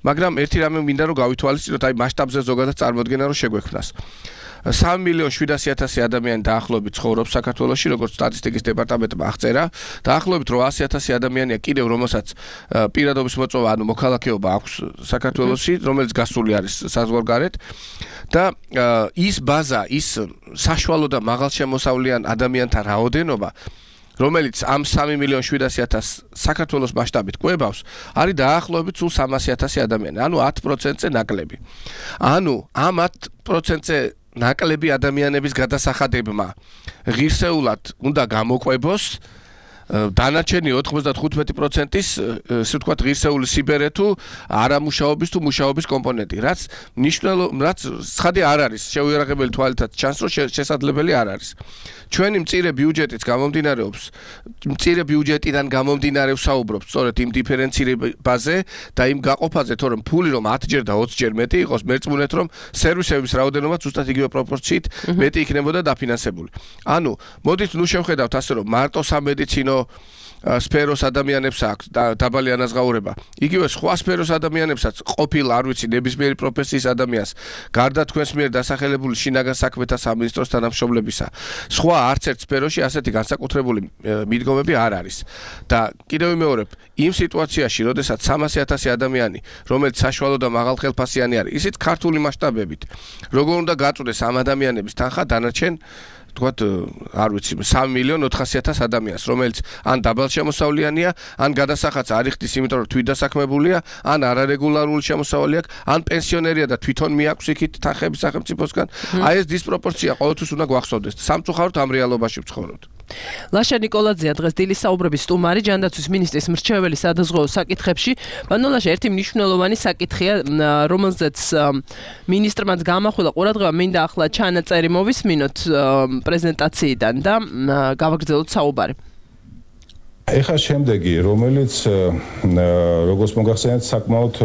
მაგრამ ერთი რამე მინდა რომ გავითვალისწინოთ, აი მასშტაბზე ზოგადად წარმოდგენა რომ შეგვექმნას. 3,700,000 ადამიანი დაახლოებით ცხოვრობს საქართველოში, როგორც სტატისტიკის დეპარტამენტმა აღწერა, დაახლოებით 800,000 ადამიანია კიდევ რომელსაც პირადობის მოწვევა, ანუ მოქალაქეობა აქვს საქართველოში, რომელიც გასული არის საზღვარგარეთ და ის ბაზა, ის საშუალო და მაღალშემოსავლიან ადამიანთა რაოდენობა რომელიც ამ 3,700,000 საქართველოს მასშტაბით ყვებავს, არის დაახლოებით სულ 300,000 ადამიანი, ანუ 10%-ზე ნაკლები. ანუ ამ 10%-ზე ნაკლები ადამიანების გადასახადებმა ღირსეულად უნდა გამოყვებოს დანარჩენი 95%-ის ესე ვთქვათ ღირსეული სიბერე თუ არამუშაობის თუ მუშაობის კომპონენტი, რაც ცხადი არ არის, შეუიარაღებელი თვალითაც ჩანს, რომ შესაძლებელი არ არის. ჩვენი მწირე ბიუჯეტიც გამომდინარეობს, მწირე ბიუჯეტიდან გამომდინარე ვსაუბრობთ სწორედ იმ დიფერენცირებაზე და იმ გაყოფაზე, თორემ ფული რომ 10ჯერ და 20ჯერ მეტი იყოს, მერწმუნეთ რომ სერვისების რაოდენობა ზუსტად იგივე პროპორციით მეტი იქნებოდა დაფინანსებული. ანუ მოდით ნუ შევხედავთ ასე რომ მარტო სამედიცინო სფეროს ადამიანებს აქვს დაბალი ანაზღაურება. იგივე სხვა სფეროს ადამიანებსაც ყოფილ არ ვიცი ნებისმიერი პროფესიის ადამიანს გარდა თქვენს მიერ დასახელებული შინაგან საქმეთა სამინისტროს თანამშრომლებისა. სხვა არც ერთ სფეროში ასეთი განსაკუთრებული მიდგომები არ არის. და კიდევ ვიმეორებ, იმ სიტუაციაში, როდესაც 300,000 ადამიანი, რომელიც საშუალო და მაღალხელფასიანი არის, ისიც ქართული მასშტაბებით, როგორ უნდა გაწვდეს ამ ადამიანების თანხა დანარჩენ თქვათ არ ვიცი 3,400,000 ადამიანს, რომელიც ან დაბალშემოსავლიანია, ან გადასახადს არ იხდის, იმიტომ რომ თვითდასაქმებულია, ან არარეგულარული შემოსავალი აქვს, ან პენსიონერია და თვითონ მიაქვს იქით თანხები სახელმწიფოსგან. აი ეს დისპროპორცია ყოველთვის უნდა გვახსოვდეს. სამწუხაროდ ამ რეალობაში ვცხოვრობთ. ლაშა ნიკოლაძეა დღეს დილის საუბრების სტუმარი ჯანდაცვის მინისტრის მრჩეველი სადაზღვეო საკითხებში. ბანოლაშა ერთი მნიშვნელოვანი საკითხია, რომელზეც მინისტრმაც გამახვილა ყურადღება, მინდა ახლა ჩანაწერი მოვისმინოთ პრეზენტაციიდან და გავაგრძელოთ საუბარი. ეხლა შემდეგი, რომელიც როგორც მოგახსენეთ, საკმაოდ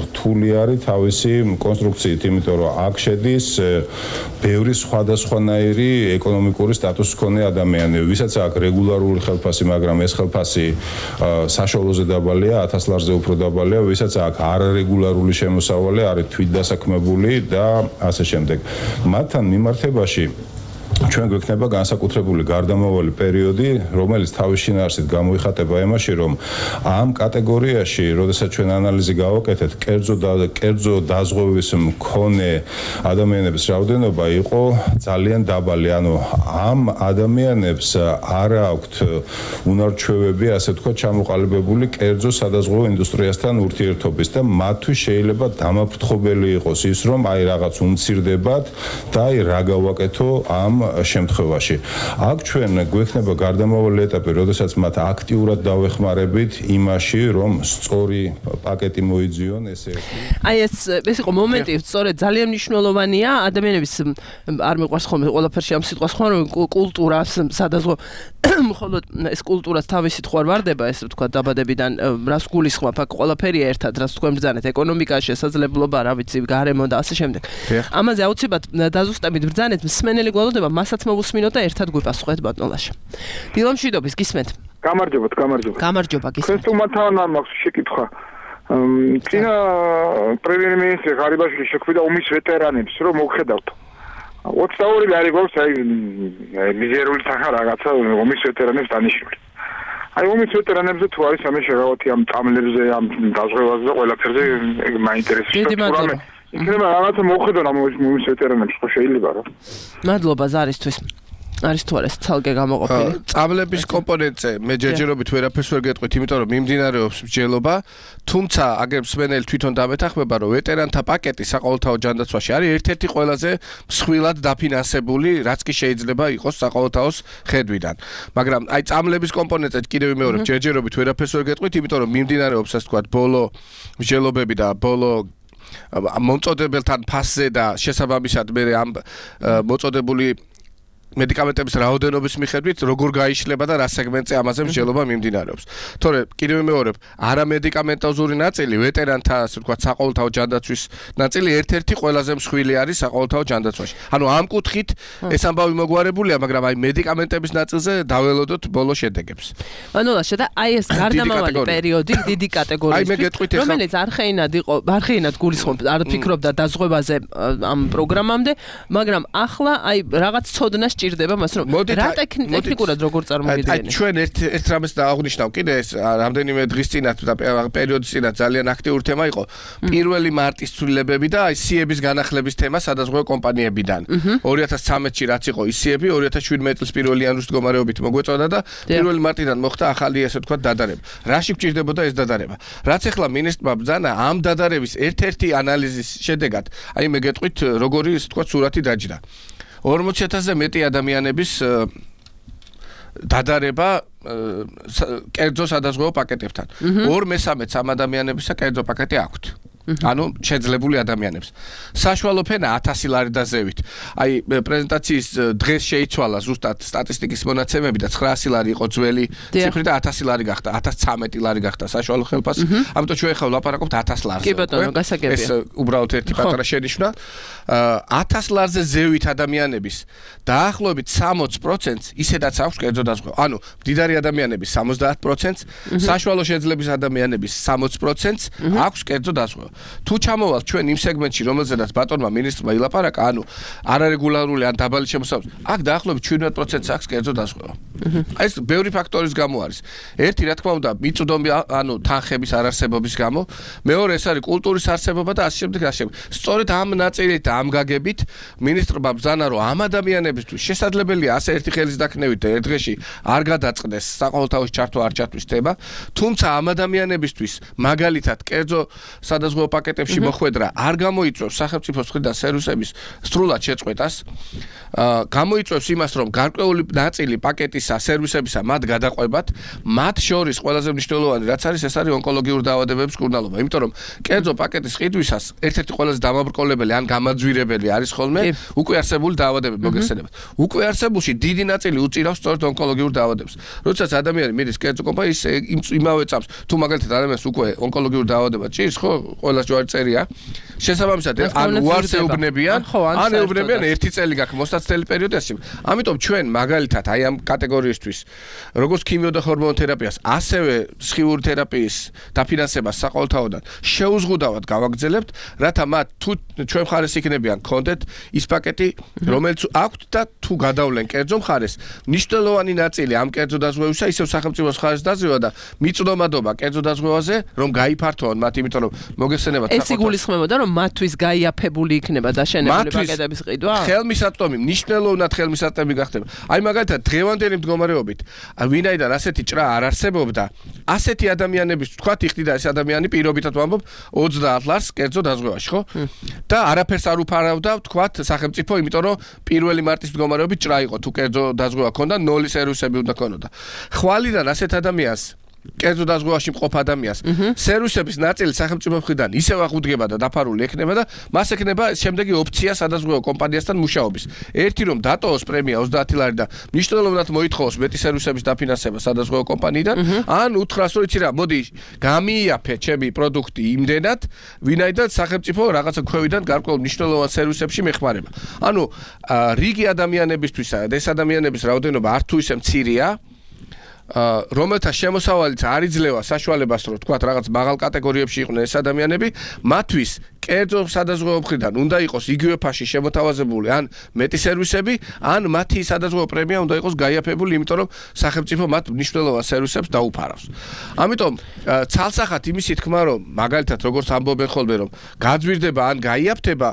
რთული არის თავისი კონსტრუქციით, იმიტომ რომ აქ შედის ბევრი სხვადასხვანაირი ეკონომიკური სტატუსის მქონე ადამიანები, ვისაც აქვს რეგულარული ხელფასი, მაგრამ ეს ხელფასი საშუალოზე დაბალია, 1000 ლარზე უფრო დაბალია, ვისაც აქვს არარეგულარული შემოსავალი, არის თვითდასაქმებული და ასე შემდეგ. მათთან მიმართებაში ჩვენ გვექნება განსაკუთრებული გარდამავალი პერიოდი, რომელიც თავის შინაარსით გამოიხატება იმაში, რომ ამ კატეგორიაში, როდესაც ჩვენ ანალიზი გავაკეთეთ, კერძო დაზღვევის მქონე ადამიანების რაოდენობა იყო ძალიან დაბალი. ანუ ამ ადამიანებს არ აქვთ უნარჩვევები, ასე ვთქვათ, ჩამოყალიბებული კერძო სადაზღვევო ინდუსტრიასთან ურთიერთობის და მათთვის შეიძლება დამაფრთხობელი იყოს ის, რომ აი რაღაც უმცირდებათ და აი რა გავაკეთო ამ შემთხვევაში. აქ ჩვენ გვექნება გარდამავალი ეტაპი, როდესაც მათ აქტიურად დავეხმარებით იმაში, რომ სწორი პაკეტი მოიძიონ ესე. აი ეს იყო მომენტი, სწორედ ძალიან მნიშვნელოვანია ადამიანების არ მიყვარს ხოლმე ყველაფერში ამ სიტყვას ხომ კულტურას სადაზღვო მხოლოდ ეს კულტურას თავისით ხوار ვარდება, ესე ვთქვა დაბადებიდან რას გულისხმობ, აქ ყველაფერია ერთად, რას თქვენ ბრძანეთ, ეკონომიკა, შესაძლებლობა, რა ვიცი, გარემო და ასე შემდეგ. ამაზე აუცილებლად დაზუსტებით ბრძანეთ, მსმენელი გველოდება მასაც მოვუსმინოთ და ერთად გვიპასუხეთ ბატონლაშა. დილომშვიდობის გისმენთ. გამარჯობათ. გამარჯობა გისმენთ. თქვენ თუმათავან მაქვს შეკითხვა. წინა პრემიერ-მინისტრი ღარიბაშვილი შეხვიდა ომის ვეტერანებს, რომ მოგხედავთ. 22 ლარი გვაქვს აი მიზერული თანხა რაღაცა ომის ვეტერანებს დანიშნული. აი ომის ვეტერანებზე თუ არის ამე შეღავათი ამ წამლებზე, ამ დაზღვევაზე და ყველაფერზე მაინტერესებს. იქნება რაღაცა მოუხედონ ამ ომის ვეტერანებს, ხო შეიძლება რა. მადლობა ზარისთვის. არის თუ არა ცალკე გამოყოფილი? წამლების კომპონენტზე მე ჯერჯერობით ვერაფერს ვერ გეტყვით, იმიტომ რომ მიმდინარეობს მსჯელობა, თუმცა აგერ მსმენელი თვითონ დამეთანხმება, რომ ვეტერანთა პაკეტი საყოველთაო ჯანდაცვაში არის ერთ-ერთი ყველაზე მსხვილად დაფინანსებული, რაც კი შეიძლება იყოს საყოველთაოს ხედვიდან. მაგრამ აი წამლების კომპონენტზე კიდევ ვიმეორებ, ჯერჯერობით ვერაფერს ვერ გეტყვით, იმიტომ რომ მიმდინარეობს ასე ვთქვათ ბოლო მსჯელობები და ბოლო მომწოდებელთან ფასზე და შესაბამისად მე ამ მოწოდებული მედიკამენტების რაოდენობის მიხედვით როგორ გაიშლება და რა სეგმენტზე ამაზე მსჯელობა მიმდინარეობს. თორე კიდევ ვიმეორებ, არამედიკამენტოზური ნაწილი, ვეტერანთა ასე ვთქვათ საყოველთაო ჯანდაცვის ნაწილი ერთ-ერთი ყველაზე მსხვილი არის საყოველთაო ჯანდაცვაში. ანუ ამ კუთხით ეს ამბავი მოგვარებულია, მაგრამ აი მედიკამენტების ნაწილზე დაველოდოთ ბოლო შედეგებს. ბანოლაშა და აი ეს გარდამავალი პერიოდი დიდი კატეგორიის, რომელიც არხეინად გულისხმობ, არ ფიქრობდა დაზღვევაზე ამ პროგრამამდე, მაგრამ ახლა აი რაღაც ცოდნა ჭირდება მას, რომ რა ტექნიკურად როგორ წარმოგიდგენთ? ჩვენ ერთ რამეს დააღვნიშნავ კიდე ეს რამდენიმე დღის წინათ და პერიოდის წინათ ძალიან აქტიური თემა იყო 1 მარტის ცვლილებები და აი სიების განახლების თემა სადაზღვევო კომპანიებიდან. 2013-ში რაც იყო ისიები, 2017 წლის 1 იანვრის მდგომარეობით მოგვეწოდა და 1 მარტიდან მოხდა ახალი ასე ვთქვათ დადარება. რაში გჭირდებოდა ეს დადარება? რაც ახლა მინისტრმა ბრძანა ამ დადარების ერთ-ერთი ანალიზის შედეგად, აი მე გეტყვით როგორი ასე ვთქვათ სურათი დაჯდა. 40,000-ზე მეტი ადამიანების დადარება კერძო სადაზღვევო პაკეტებთან. 2/3 ამ ადამიანებისა კერძო პაკეტი აქვთ. ანუ შეძლებული ადამიანებს. საშუალო ფენა 1000 ლარი და ზევით. აი პრეზენტაციის დღეს შეიცვალა ზუსტად სტატისტიკის მონაცემები და 900 ლარი იყო ძველი ციფრი და 1000 ლარი გახდა, 1013 ლარი გახდა საშუალო ხელფასი. ამიტომ ჩვენ ხელ ვლაპარაკობთ 1000 ლარზე. კი ბატონო, გასაგებია. ეს უბრალოდ ერთი პატარა შენიშვნა. 1000 ლარზე ზევით ადამიანების დაახლოებით 60%-ს ისედაც აქვს კერძო დაზღვევა. ანუ მდიდარი ადამიანების 70%-ს, საშუალო შეძლების ადამიანების 60%-ს აქვს კერძო დაზღვევა. თუ ჩამოვალთ ჩვენ იმ სეგმენტში, რომელზედაც ბატონმა მინისტრმა ილაპარაკა, ანუ არარეგულარული ან დაბალი შემოსავლის, აქ დაახლოებით 17%-ს აქვს კერძო დაზღვევა. აი ეს ბევრი ფაქტორის გამო არის. ერთი, რა თქმა უნდა, მიწვდომი, ანუ თანხების არარსებობის გამო, მეორე ეს არის კულტურის არსებობა და ასე შემდეგ. სწორედ ამ ნაწილით და ამ გაგებით მინისტრმა ბრძანა, რომ ამ ადამიანებისთვის შესაძლებელია ასე ერთი ხელის დაქნევით და ერთ დღეში არ გადაწყდეს საყოველთაოს ჩართვა არ ჩართვის თემა, თუმცა ამ ადამიანებისთვის მაგალითად კერძო სადაზღვევო პაკეტებში მოხვედრა არ გამოიწვევს სახელმწიფოს მხრიდან სერვისების სრულად შეწყვეტას, გამოიწვევს იმას, რომ გარკვეული ნაწილი პაკეტისა სერვისებისა მათ გადაყვებათ, მათ შორის ყველაზე მნიშვნელოვანი რაც არის, ეს არის ონკოლოგიური დაავადებების მკურნალობა, იმიტომ რომ კერძო პაკეტის ყიდვისას ერთ-ერთი ყველაზე დამაბრკოლებელი ან გამაძვირებელი არის ხოლმე უკვე არსებული დაავადებები მოგეხსენებათ. უკვე არსებულში დიდი ნაწილი უწირავს სწორედ ონკოლოგიურ დაავადებებს. როდესაც ადამიანი მიდის კერძო კომპანიის იმავე წამს, თუ მაგალითად ადამიანს უკვე ონკოლოგიური დაავადება ჭირს, ხო, ყველას ჯვარი წერია. შესაბამისად, ან უარსეუბნებიან, ან ეუბნებიან ერთი წელი გაქვს მოსაცდელი პერიოდი ასე. ამიტომ ჩვენ მაგალითად აი ამ კატეგორიისთვის, როგორც ქიმიო და ჰორმონოთერაპიას, ასევე სხიური თერაპიის დაფინანსებას საყოველთაოდან შეუზღუდავად გავაგრძელებთ, რათა მათ თუ ჩვენ მხარეს იქნებიან კონდეთ ის პაკეტი, რომელიც აქვთ და თუ გადავლენ კერძო მხარეს, მნიშვნელოვანი ნაწილი ამ კერძო დაზღვევისა ისევ სახელმწიფოს მხარეს დაზღვევა და მიწვდომადობა კერძო დაზღვევაზე, რომ გაიფართოონ მათ, იმიტომ რომ მოგეხსენებათ ეს იგულისხმებოდა, რომ მათთვის გაიაფებული იქნება დაშენებული პაკეტების ყიდვა? ხელმისაწვდომი, მნიშვნელოვნად ხელმისაწვდომი გახდება. აი მაგალითად დღევანდელი მდგომარეობით, ვინაიდან ასეთი ჭრა არ არსებობდა, ასეთი ადამიანების, თქვათ, იხდიდა ეს ადამიანი პირობითად ვამბობ 30 ლარს კერძო დაზღვევაში, ხო? და არაფერს არ უფარავდა, თქვათ, სახელმწიფო, იმიტომ რომ 1 მარტის მდგომარეობით ჭრა იყო, თუ კერძო დაზღვევა ქონდა, 0 სერვისები უნდა ქონოდა. ხვალიდან ასეთ ადამიანს კერძო დაზღვევაში მყოფ ადამიანს სერვისების ნაწილი სახელმწიფო მხრიდან ისევ აღუდგება და დაფარული ექნება და მას ექნება შემდეგი ოფცია სადაზღვევო კომპანიასთან მუშაობის. ერთი რომ დატოვოს პრემია 30 ლარი და მნიშვნელოვნად მოითხოვოს მეტი სერვისების დაფინანსება სადაზღვევო კომპანიიდან, ან უთხრას რომ იცი რა, მოდი გამიაფე ჩემი პროდუქტი იმდენად, ვინაიდან სახელმწიფო რაღაცა ქვევიდან გარკვეულ მნიშვნელოვან სერვისებში მეხმარება. ანუ რიგი ადამიანებისთვისა და ეს ადამიანების რაოდენობა არ თუ ისე მცირეა, რომელთა შემოსავალიც არ იძლევა საშუალებას, რომ თქვათ რაღაც მაღალ კატეგორიებში იყვნენ ეს ადამიანები, მათთვის კერძო სადაზღვევო მხრიდან უნდა იყოს იგივე ფაში შემოთავაზებული ან მეტი სერვისები, ან მათი სადაზღვევო პრემია უნდა იყოს გაიაფებული, იმიტომ რომ სახელმწიფო მათ მნიშვნელოვან სერვისებს დაუფარავს. ამიტომ ცალსახად იმისი თქმა, რომ მაგალითად როგორც ამბობენ ხოლმე, რომ გაძვირდება ან გაიაფთება,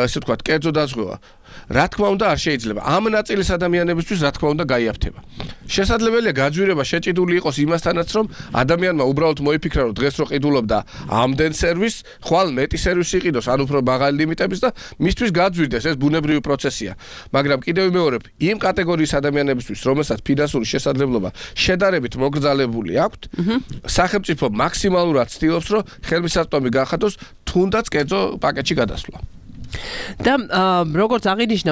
ესე ვთქვათ, კერძო დაზღვევა, რა თქმა უნდა არ შეიძლება. ამ ნაწილის ადამიანებისთვის რა თქმა უნდა გაიაფთება. შესაძლებელია გაძვირება შეჭიდული იყოს იმასთანაც, რომ ადამიანმა უბრალოდ მოიფიქრა, რომ დღეს რო ყიდულობდა ამდენ სერვისს, ხვალ მეტი სერვისი იყიდოს, ან უფრო მაღალი ლიმიტების და მისთვის გაძვირდეს, ეს ბუნებრივი პროცესია. მაგრამ კიდევ ვიმეორებ, იმ კატეგორიის ადამიანებისთვის, რომელსაც ფინანსური შესაძლებლობა შედარებით მოგრძალებული აქვთ, სახელმწიფო მაქსიმალურად ცდილობს, რომ ხელმისაწვდომი განხადოს თუნდაც კერძო პაკეტში გადასვლა. და როგორც აღინიშნა,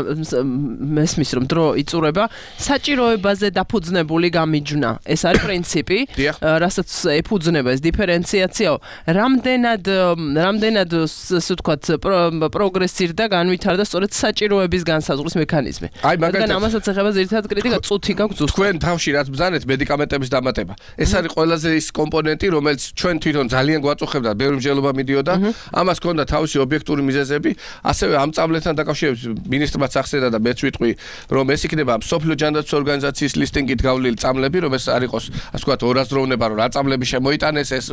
მესმის რომ დრო იწურება, საჭიროებაზე დაფუძნებული გამიჯვნა. ეს არის პრინციპი, რასაც ეფუძნება ეს დიფერენციაციაო. რამდენად ასე ვთქვათ, პროგრესირდა, განვითარდა სწორედ საჭიროების განსაზღვრის მექანიზმი. რადგან ამასაც ეხება ძირითადად კრიტიკა, წუთი გაქვს ზუსტად. თქვენ თავში რაც ბრძანეთ მედიკამენტების დამატება. ეს არის ყველაზე ის კომპონენტი, რომელიც ჩვენ თვითონ ძალიან გვაწუხებდა, ბევრი მსჯელობა მიდიოდა. ამას ჰქონდა თავისი ობიექტური მიზეზები. ასევე ამ წამლებთან დაკავშირებით მინისტრმაც ახსენდა და მეც ვიტყვი, რომ ეს იქნება მსოფლიო ჯანდაცვის ორგანიზაციის ლისტინგით გავლილი წამლები, რომ ეს არ იყოს, ასე ვთქვათ, ორაზროვნება, რომ რა წამლები შემოიტანეს, ეს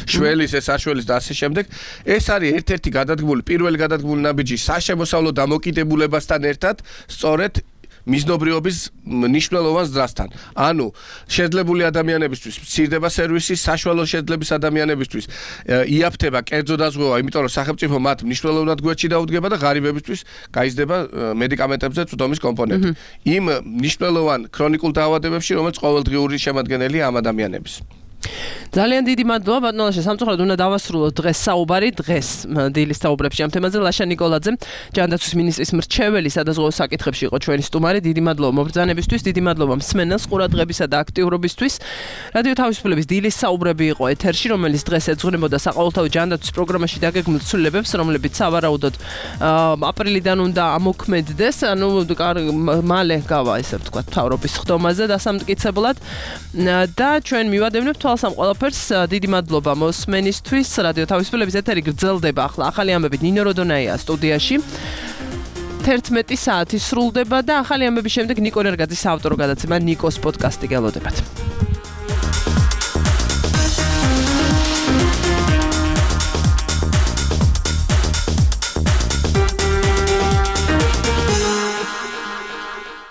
შველის, ეს არშველის და ასე შემდეგ. ეს არის ერთ-ერთი გადადგმული, პირველი გადადგმული ნაბიჯი საშემოსავლო დამოკიდებულებასთან ერთად, სწორედ მიზნობრიობის მნიშვნელოვან ზრდასთან. ანუ შეძლებული ადამიანებისთვის მცირდება სერვისი, საშუალო შეძლების ადამიანებისთვის იაფთება კერძო დაზღვევა, იმიტომ რომ სახელმწიფო მათ მნიშვნელოვნად გვერდში დაუდგება და ღარიბებისთვის გაიზრდება მედიკამენტებზე წვდომის კომპონენტი. იმ მნიშვნელოვან ქრონიკულ დაავადებებში, რომელიც ყოველდღიური შემადგენელია ამ ადამიანების. ძალიან დიდი მადლობა ბატონ ლაშა, სამწუხაროდ უნდა დავასრულოთ დღეს საუბარი, დღეს დილის საუბრებში ამ თემაზე. ლაშა ნიკოლაძე, ჯანდაცვის მინისტრის მრჩეველი სადაზღვევო საკითხებში იყო ჩვენი სტუმარი. დიდი მადლობა მობრძანებისთვის, დიდი მადლობა მსმენელს ყურადღებისა და აქტიურობისთვის. რადიო თავისუფლების დილის საუბრები იყო ეთერში, რომელიც დღეს ეძღვნებოდა საყოველთაო ჯანდაცვის პროგრამაში დაგეგმილ ცვლილებებს, რომლებიც სავარაუდოდ აპრილიდან უნდა ამოქმედდეს, ანუ მალე გავა ესე ვთქვათ მთავრობის ხდომაზე დასამტკიცებლად და ჩვენ მივადევნებთ თვალს ამ ყველაფერს. დიდი მადლობა მოსმენისთვის. რადიო თავისუფლების ეთერი გრძელდება ახლა ახალი ამბებით ნინო როდონაია სტუდიაში. 11 საათი სრულდება და ახალი ამბების შემდეგ ნიკო ნერგაძის საავტორო გადაცემა ნიკოს პოდკასტი გელოდებათ.